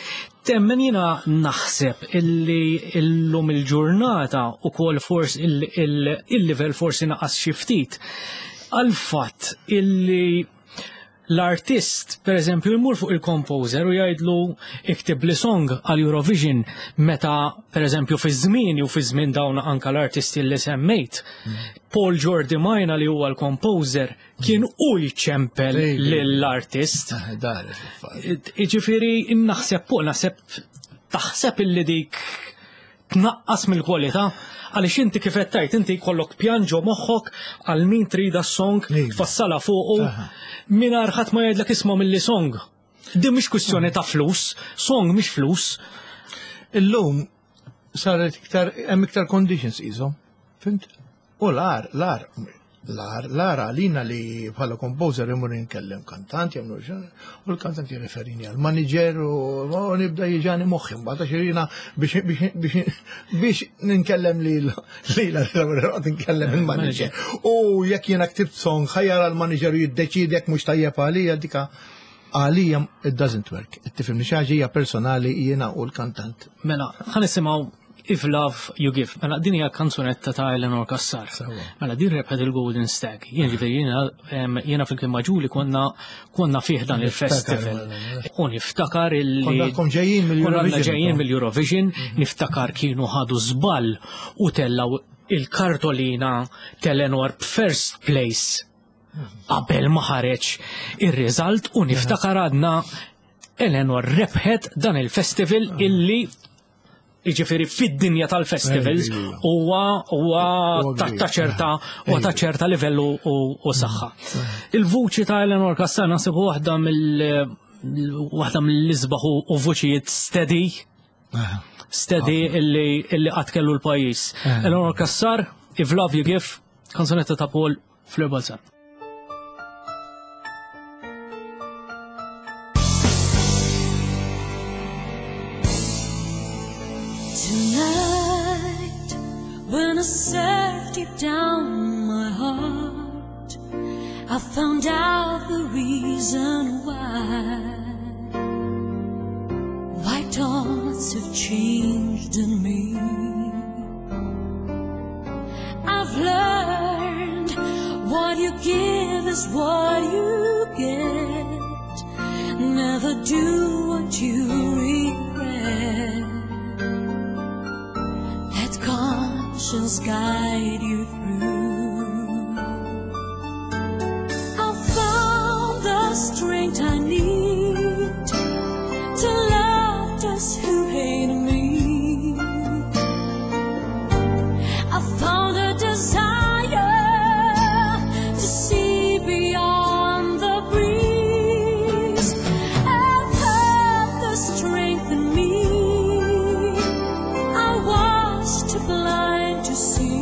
Temmen jiena naħseb illi illum il-ġurnata ukoll forsi il-livell forsi naqas xi ftit. Għal fatt illi l-artist, per eżempju, jmur fuq il-composer u jgħidlu iktib li song għal Eurovision meta, per eżempju, fi żmien u fi żmien dawn anka l-artisti li semmejt. Paul Giordimaina li huwa l-composer kien u jċempel Ej, lill-artist. Ah, Dar il-affarijiet. Iġifieri naħseb fuq naħseb taħseb illi dik tnaqqas mill-kwalità għaliex inti kif qed tgħid inti jkollok pjan ġo moħħok għal min trida s-song Iva. tfassala fuqu Aha. mingħajr ħadd ma jgħidlek isma' milli song. Din mhix kwistjoni ta' flus, song mhix flus. Illum saret iktar hemm iktar conditions iżhom. Fhimt? U l-ar, l-ar, l-ar, l-ar għalina li bħala composer imur nkellem kantant, jagħmlu xan, u l-kantant jirreferini għal manager u u nibda jiġani moħħi mbagħad għax jiena biex biex biex biex ninkellem li li la nkellem il-manager. U jekk jiena ktibt song ħa jara l-manager u jiddeċidi jekk mhux tajjeb għalija dika għalija it doesn't work. Tifhimni xi ħaġa hija personali jiena u l-kantant. Mela, ħa nisimgħu If Love You Give. Mela, din hija kanzunetta ta' Eleanor Cassar. Sewwa. Mela, din rebħet il-Golden Stag. Jien ġifieri jiena em, jiena fil-kien maġuli konna konna fih dan il-festival. mela, U niftakar illi Konna kom ġejjin mill-Eurovision. Konna ġejjin mill-Eurovision, niftakar kienu ħadu żball u tellaw il-kartolina t'Eleanor first place qabel ma ħareġ ir-result u niftakar għadna Eleanor rebħet dan il-festival illi Iġifieri fid-dinja tal-festivals Ejja. huwa huwa Huwa ta' kbir. ta' ċerta huwa ta' ċerta livellu u u saħħa. Il-vuċi ta' Eleanor Cassar naħseb waħda mill waħda mill-isbaħ u u vuċijiet steady steady illi illi qatt kellu l-pajjiż. Eleanor Cassar, If Love You Give, kanzunetta ta' Paul Fleur Balzan. Tonight, when I searched deep down my heart, I found out the reason why. Why thoughts have changed in me. I've learned what you give is what you get. Never do what you regret. Let conscience guide you through. I found the strength I need to love those who hate me. I found a desire to see beyond the breeze. I've heard the strength in me. I was too blind to see.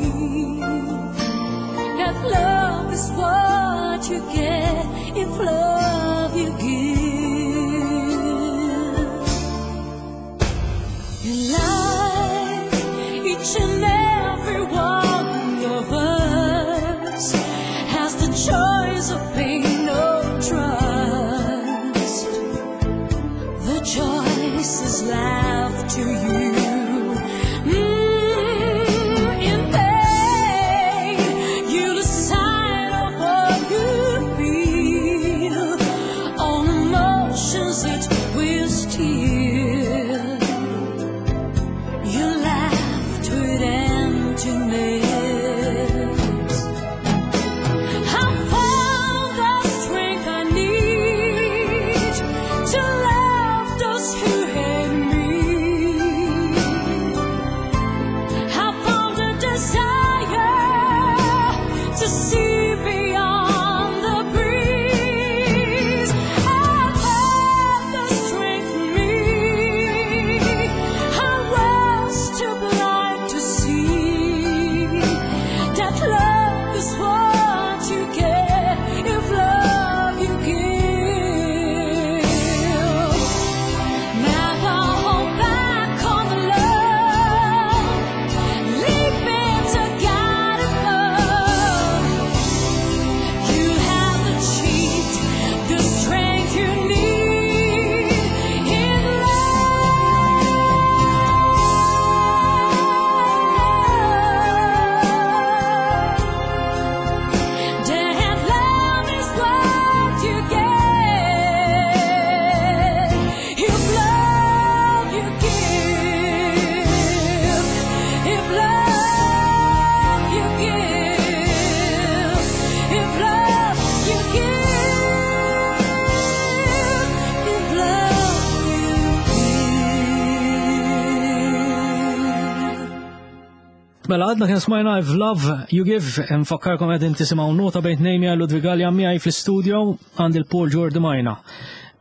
Mela għadna kien smajna I've Love You Give, nfakkarkom qegħdin tisimgħu Nota Bejn Tnejn miegħi Ludwig Galea, miegħi fl-studio għand il-Paul Giordimaina.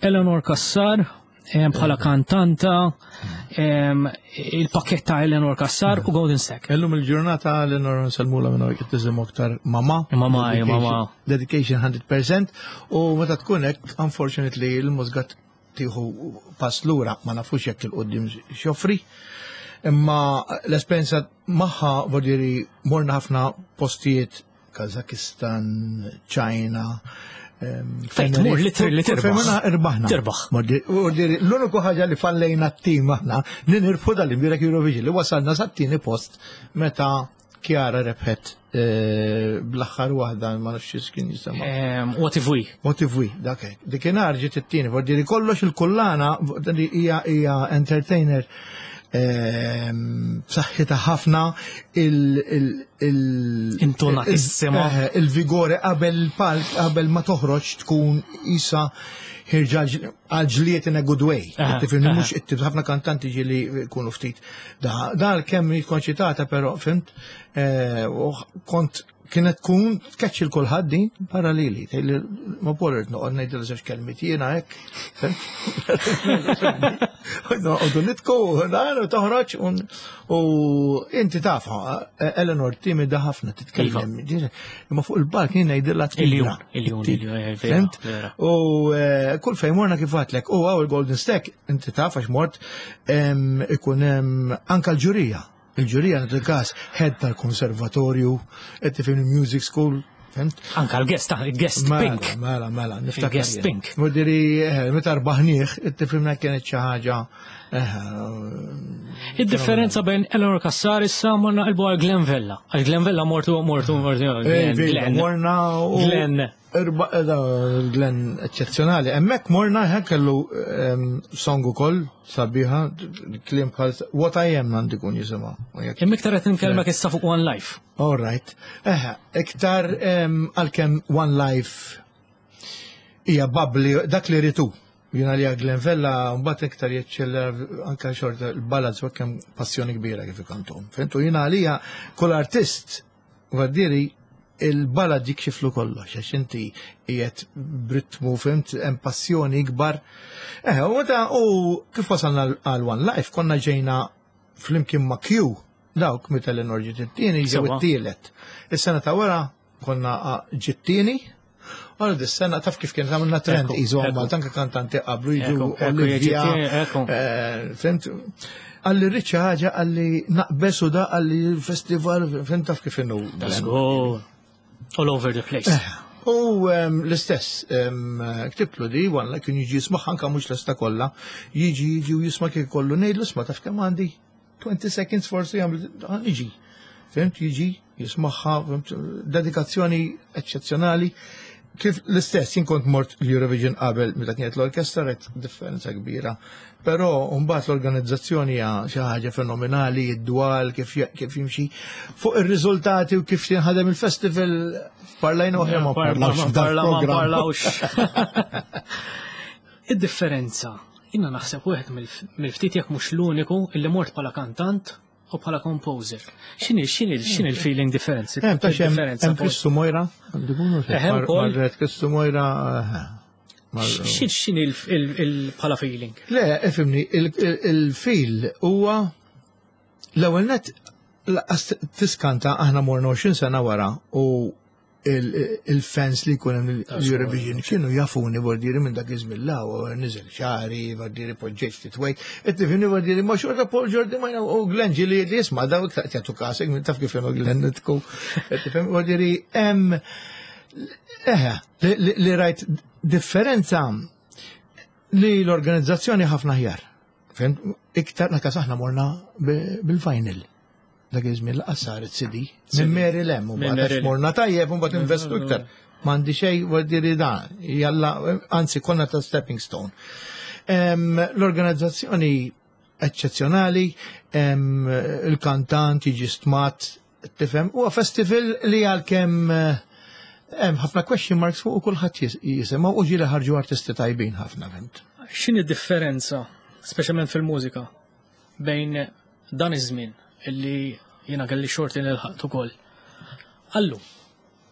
Eleanor Cassar, em, bħala kantanta, em, il-pakket ta' Eleanor Cassar u Golden Stack. Illum il-ġurnata Eleanor nsellmulha minn hawn, tisimgħu aktar mama. Mama, Dedication- mama. Dedication mija fil-mija u meta tkun hekk, unfortunately, il-mużika tieħu pass lura, ma nafux jekk il-qoddim x'joffri. Imma l-esperienza magħha, vodiri, morna ħafna postijiet, Kazakistan, China. Fejn tmur literally Fejn tirbaħ. morna irbaħna. Tirbaħ. Vodiri, l-uniku ħaġa li fallejna t-tim aħna li nirbħu dal-imbierek Eurovision, li wasalna sat-tieni post meta Chiara rebħet eh, bl-aħħar waħda, ma nafx x'kien jisimha. Em, What if we? What if we, dak hekk. Dikinhar ġiet it-tieni, vodiri kollox il-kullana, vodiri hija hija entertainer ehm, b'saħħitha ħafna, il il il Intonatissima. il- eh, il-vigore qabel il-palk, qabel ma toħroġ tkun isa ħierġa għal-ġliet in a good way. Aha, Tifhimni, aha. mhux it ħafna kantanti ġieli jkunu ftit. Da, da kemm konċitata, però fimt, eh, u kont kienet tkun tkeċċi l kulħadd din paralleli. Tgħidli, ma Paul, irrid noqgħod ngħidilha żewġ kelmiet jiena hekk. Fimt? Noqogħdu nitku, dan u toħroġ un- u inti tafha, Eleanor timida ħafna titkellem. Imma fuq il-palk jien ngħidilha Il-jum, il-jum, il-jum, eh, vera, Fimt? vera. U eh, kull fejn morna, kif għedtlek, u għaw il-Golden Stack, inti taf għax mort, em, ikun hemm anka l-ġurija. Il-ġurija nagħtu każ head tal-konservatorju, qed tifhem, music school, fimt? Anka l-guest, ah, il-guest Mela, pink. Mela, mela, niftakar. Il-guest jien. pink. Vodiri, eh, meta rbaħnieh, tifhimna, kienet xi ħaġa. eh, Id-differenza bejn Eleanor Cassar, issa morna qalbu għal Glenn Vella. Għal Glenn Vella mortu, mortu, mortu. Eh, Glenn, vera, Glenn. Morna u. Glenn. Irba, eh, da, Glenn eccezzjonali. Hemmhekk morna hekk kellu em, song ukoll sabiħa, kliem bħal What I Am għandi kun jisimha. U jekk- Imma iktar qed nkellmek issa fuq One Life. All right. Eħe, iktar em, għalkemm One Life hija bubbly, dak li ritu. Jina li Glenn Vella mbagħad iktar jeċċella anka xorta l-ballads u kemm passjoni kbira kif ikantom. Fimtu, jina għalija kull artist għaddiri il-ballad jikxiflu kollox, għax inti qiegħed b'ritmu, fimt, hemm passjoni ikbar. Eh, u meta u kif wasalna għal One Life, konna ġejna flimkien ma' Q, dawk meta l ġiet it-tieni ġew Sewa. it-tielet. Is-sena ta' wara konna ah, ġiet tieni. Għal dis-sena taf kif kien għamilna trend Ekku, iżu ekku. Malta anke kantanti qablu jiġu Ekku, ekku, Olivia. jiġi ekku. eh, Fimt, għalli rrid xi ħaġa, għalli naqbes u da għalli festival, fimt, taf kif inhu. Let's go. All over the place. U em, l-istess, em, ktibtlu di, għanla kien jiġi jisma' anka mhux l-esta kollha, jiġi jiġi u jisma' kien kollu, ngħidlu isma', taf kemm għandi twenty seconds forsi għamil jiġi. Fimt, jiġi, jismagħha, fimt, dedikazzjoni eccezzjonali. Kif l-istess, jien kont mort l-Eurovision qabel meta kienet l-orkestra, rajt differenza kbira. Però mbagħad l-organizzazzjoni hija xi ħaġa fenomenali, id-dwal kif kif jimxi fuq ir-riżultati u kif jinħadem il-festival, parlajna oħra ma parlawx f'dan Parla ma il-programm. parlawx. Id-differenza, jina naħseb wieħed mill-ftit jekk mhux l-uniku illi mort bħala kantant u bħala composer. X'inhi x'inhi x'inhi l-feeling difference? Hemm ta' xem Differenza hemm Kristu Mojra, għandu Eh, hemm ukoll. Marret Kristu Mojra. eh, mar- X'inhi x'inhi il bħala feeling? Le, ifhimni, il-feel huwa l-ewwel net laqas tiskanta, aħna morna għoxrin sena wara u il-fans li jkun hemm l-Eurovision kienu jafuni, bordiri, minn dak iż-żmien la u niżel xari, bordiri, poġġejt ftit wejt, qed tifhimni, bordiri, ma xorta Paul Giordimaina u Glenn ġieli li jisma' daw iktar jagħtu kasek, minn taf kif inhu Glenn nitku, qed tifhem, bordiri, hemm eħe li- li rajt differenza li l-organizzazzjoni ħafna ħjar. Fimt? Iktar nakas aħna morna bi- bil-vinyl. Dak iż-żmien laqas saret C D. Minn Mary Lem, u Minn mbagħad Mary għax morna tajjeb u mbagħad investu iktar. M'għandi xejn, vuol da, jalla, anzi konna ta' stepping stone. Em, L-organizzazzjoni eccezzjonali, em, il-kantant jiġi stmat, tifhem, huwa festival li għalkemm eh, hemm ħafna question marks fuq u kulħadd jis- jisimgħu u ġieli ħarġu artisti tajbin ħafna, fimt. X'inhi differenza, speċjalment fil-mużika, bejn dan iż-żmien illi Jiena kelli xorti nilħaqt ukoll. Allu,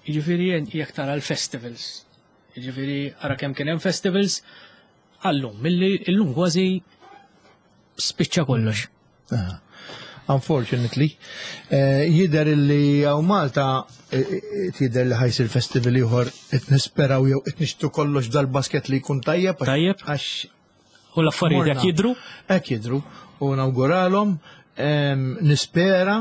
jiġifieri jekk tara l-festivals, jiġifieri ara kemm kien hemm festivals, allu, milli illum kważi spiċċa kollox. Ah, unfortunately, eh, jidher li hawn Malta eh, eh, jidher li ħa jsir festival ieħor, qed nisperaw jew qed nixtru kollox dal-basket li jkun tajjeb. għax- Tajjeb. Għax U l-affarijiet morna. jekk jidru, Hekk jidru u nawguralhom, em, nispera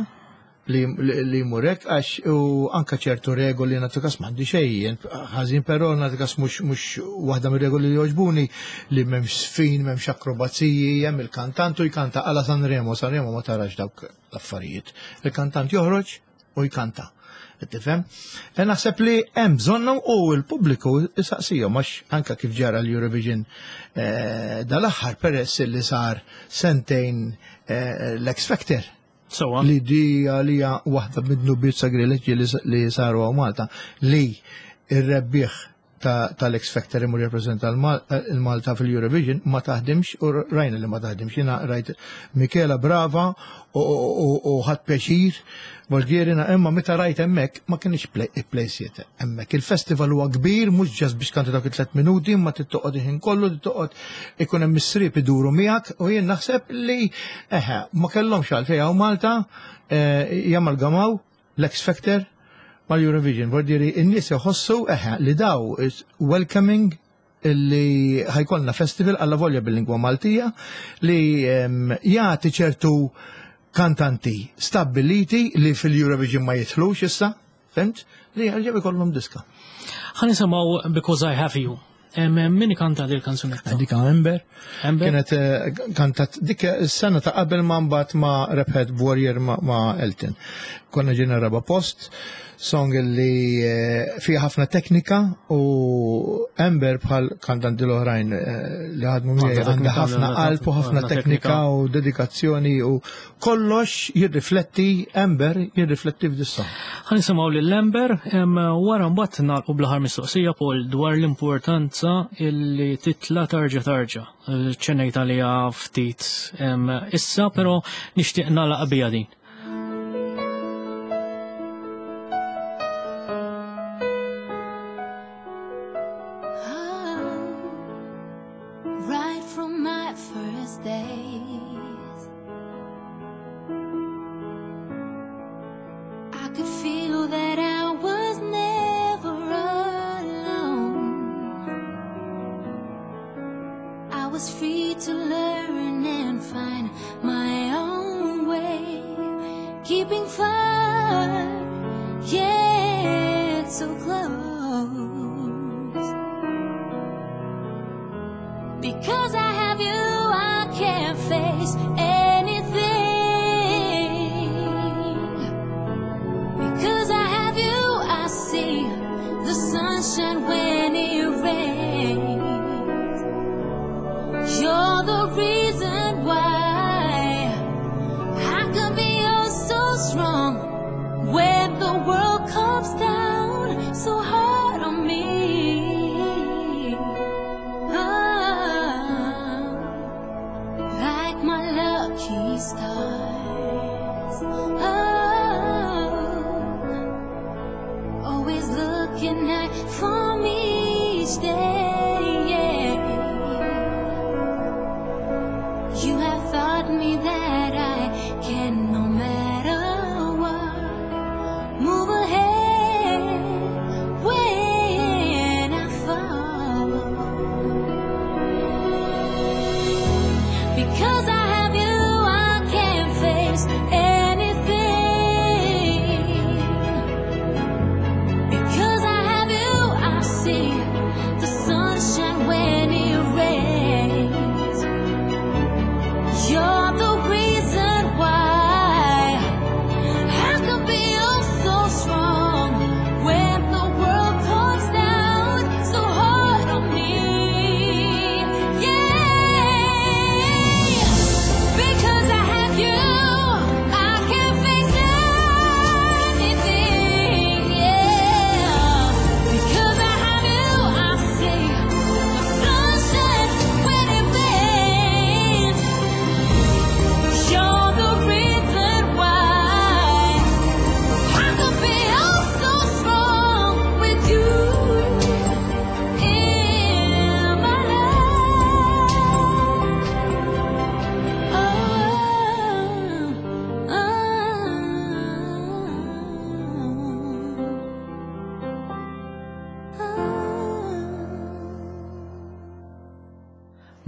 li, li, li jmur hekk għax u anka ċertu regoli, nagħtu kas, m'għandi xejn ħażin, però nagħtu kas mhux mhux waħda mir-regoli li jogħġbuni li m'hemmx sfin, m'hemmx akrobaziji, hemm il-kantant u jkanta għala Sanremo, Sanremo ma tarax dawk l-affarijiet. Il-kantant joħroġ u jkanta. Tifhem? E naħseb li hemm bżonnhom u l-pubbliku isaqsihom, għax anka kif ġara l-Eurovision eh, dal-aħħar, peress li sar sentejn eh, l-X Factor Sewwa. li di għalija waħda mid-dnubiet sagrileġġi li, li saru hawn Malta, li ir-rebbieħ ta- tal-X Factor imur jirrappreżenta l-Malta fil-Eurovision, ma taħdimx, u rajna li ma taħdimx. Jiena rajt Michela brava u- u u ħadt pjaċir Bulgarina, imma meta rajt hemmhekk ma kienx plejsiet hemmhekk. Il-festival huwa kbir, mhux just biex kanti dak it-tliet minuti, imma tittoqgħod il-ħin kollu, tittoqgħod ikun hemm is-srib iduru miegħek, u jien naħseb li eħe ma kellhomx għalfejn hawn Malta eh, jamalgamaw l-X Factor mal-Eurovision. Vuol in-nies iħossu eħe li daw is welcoming li ħa jkollna festival alla volja bil-lingwa Maltija li em, jagħti ċertu kantanti stabiliti li fil-Eurovision ma jidħlux issa, fhimt? Li għalġeb ikollhom diska. Ħa nisimgħu Because I Have You. Em, Min kanta dil kanzunetta? Dik Amber. Amber? Kienet eh, kantat dik is-sena ta' qabel ma mbagħad ma rebħet Warrior ma, ma Elton. Konna ġejna raba post, song li eh, fiha ħafna teknika, u Amber bħal kantanti l-oħrajn eh, li ħadmu miegħi Għandha għandha teknika, ħafna għandha qalb u ħafna għandha teknika teknika. u dedikazzjoni, u kollox jirrifletti, Amber jirrifletti f'dis-song. Ħa nisimgħu lil Amber, em, wara mbagħad nagħlqu bl-aħħar mistoqsija, Paul, dwar l-importanza illi titla tarġa tarġa. Ċennejt għalija ftit em, issa, però nixtieq nagħlaq bija din. Right from my first days, I could feel that I was never alone. I was free to learn and find my own way, keeping far, yet so close. Because I have you, I can face anything. Because I have you, I see the sunshine when it rains. You're the reason why I can be oh so strong when the world comes down so hard on me. Ah, like my lucky stars. Oh, always looking out for me each day. Yeah. You have taught me that I can, no matter what, move ahead when I fall. Because I have you, I can face anything.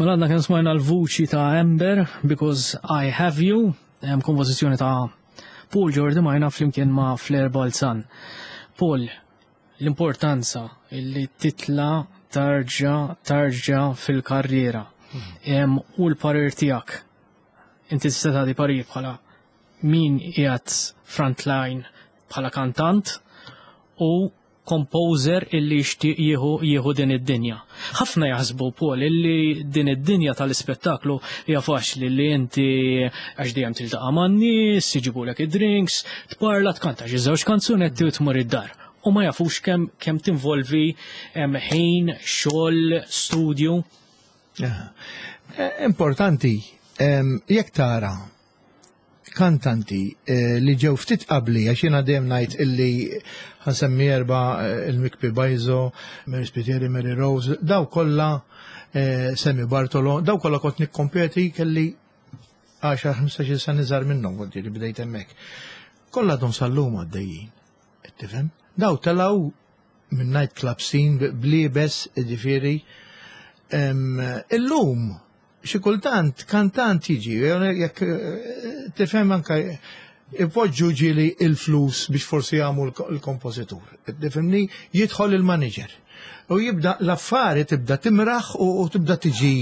Mela għadna kemm smajna l-vuċi ta' Amber, Because I Have You, hemm kompożizzjoni ta' Paul Giordimaina flimkien ma' Flair Balzan. Paul, l-importanza illi titla tarġa tarġa fil-karriera. Em, u l-parir tiegħek. Inti tista' tagħti parir bħala min qiegħed frontline bħala kantant u composer illi jixtieq jieħu jieħu din id-dinja. Ħafna jaħsbu Paul illi din id-dinja tal-ispettaklu hija faċli li inti għax dejjem tiltaqa' man-nies, jiġibulek id-drinks, tparla tkanta xi żewġ kanzunetti u tmur id-dar. U ma jafux kemm kemm tinvolvi em, ħin, xogħol, studju. Eh, Importanti, em, jekk tara kantanti eh, li ġew ftit qabli, għax jiena dejjem ngħid illi ħa nsemmi erba' eh, il-Mikpi Bajzo, Mary Spiteri, Mary Rose, daw kollha eh, Sammy Bartolo, daw kollha kont nikkompeti kelli għaxar ħmistax-il sena iżgħar minnhom kont li bdejt hemmhekk. Kollha għadhom sal-lum għaddejjin. Qed tifhem? Daw telgħu minn night club scene blibes, ġifieri. Em, Illum, xi kultant kantant jiġi, jekk eh, tifhem anka ipoġġu ġieli il-flus biex forsi jagħmlu l-kompożitur. Tifhimni jidħol il-manager. U jibda l-affari tibda timraħ u u tibda tiġi.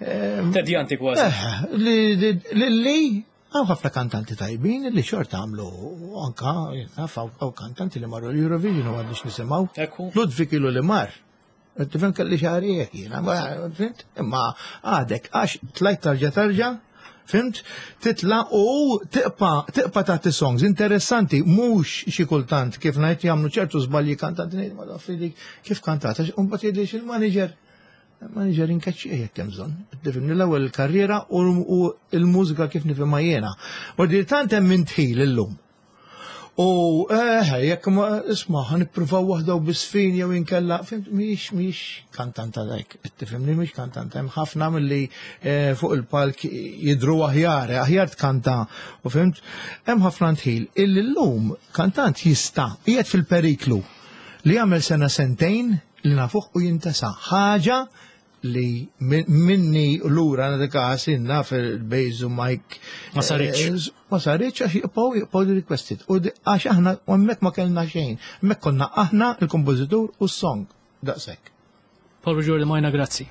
Tedjanti kważi. Eh, li li li hawn ħafna kantanti tajbin li xorta għamlu anka naf hawn kantanti li marru l-Eurovision u għadniex nisimgħu. Ekku. Ludwig ilu li mar. Tifhem kelli xahar hekk jiena, ma- fhimt? Imma għadek għax tlajt tarġa tarġa, fhimt? Titla u tiqpa tiqpa tagħti songs interessanti, mhux xi kultant kif ngħid jagħmlu ċertu żbalji kantanti ngħid ma taf li kif kantat, għax imbagħad jgħidli il-manager manager inkaċċi jekk hemm bżonn. Tifhimni l-ewwel il-karriera u u l-mużika kif nifhimha jiena. U dir tant hemm intħil illum. U eh, jekk ma isma' ħa nippruvaw waħda u bisfin jew inkella, fhimt, mhix mhix kantanta dak, tifhimni mhix kantanta, hemm ħafna milli eh, fuq il-palk jidru aħjar, aħjar tkanta, u fhimt, hemm ħafna ntħil. Illi llum kantant jista' qiegħed fil-periklu li jagħmel sena sentejn li nafuh u jintesa ħaġa li min- minni lura nagħti inna fil-Bejzu Mike. Ma saritx. Eh, Ma saritx għax jibqgħu jibqgħu li requested. U di- għax aħna u hemmhekk ma kellna xejn. Hemmhekk konna aħna il-kompożitur u s-song. Daqshekk. Paul Giordimaina, grazzi.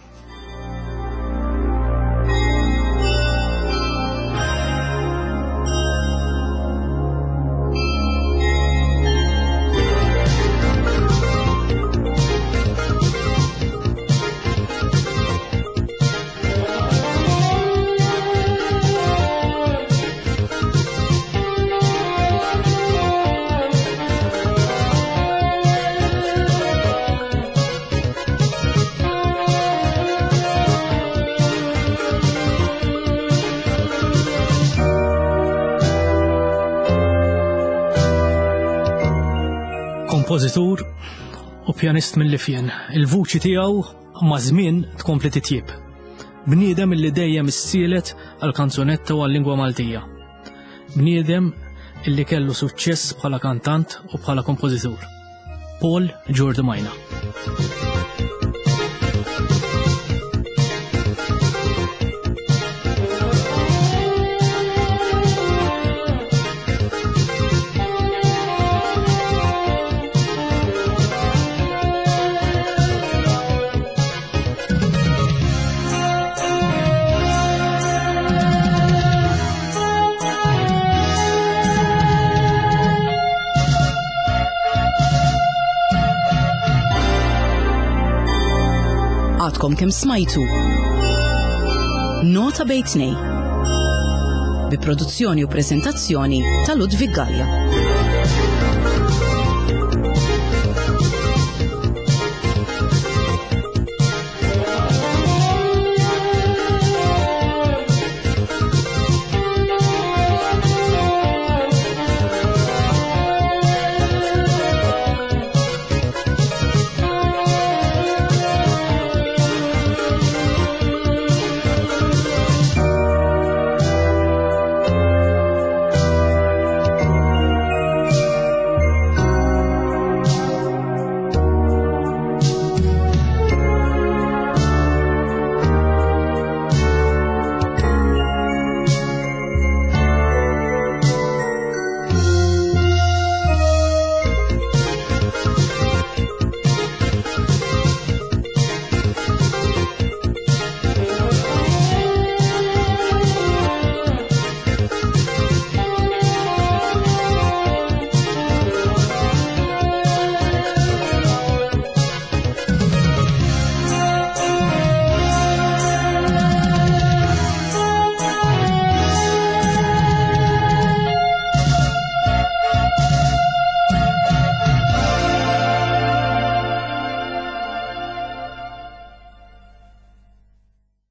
Kompożitur u pjanist mill-Lifjen. Il-vuċi tiegħu ma' żmien tkompli titjib. Bniedem illi dejjem issielet għal kanzunetta u għal-lingwa Maltija. Bniedem illi kellu suċċess bħala kantant u bħala kompożitur. Paul Giordimaina. Għadkom kemm smajtu. Nota bejn tnejn. Bi produzzjoni u prezentazzjoni ta' Ludwig Gallia.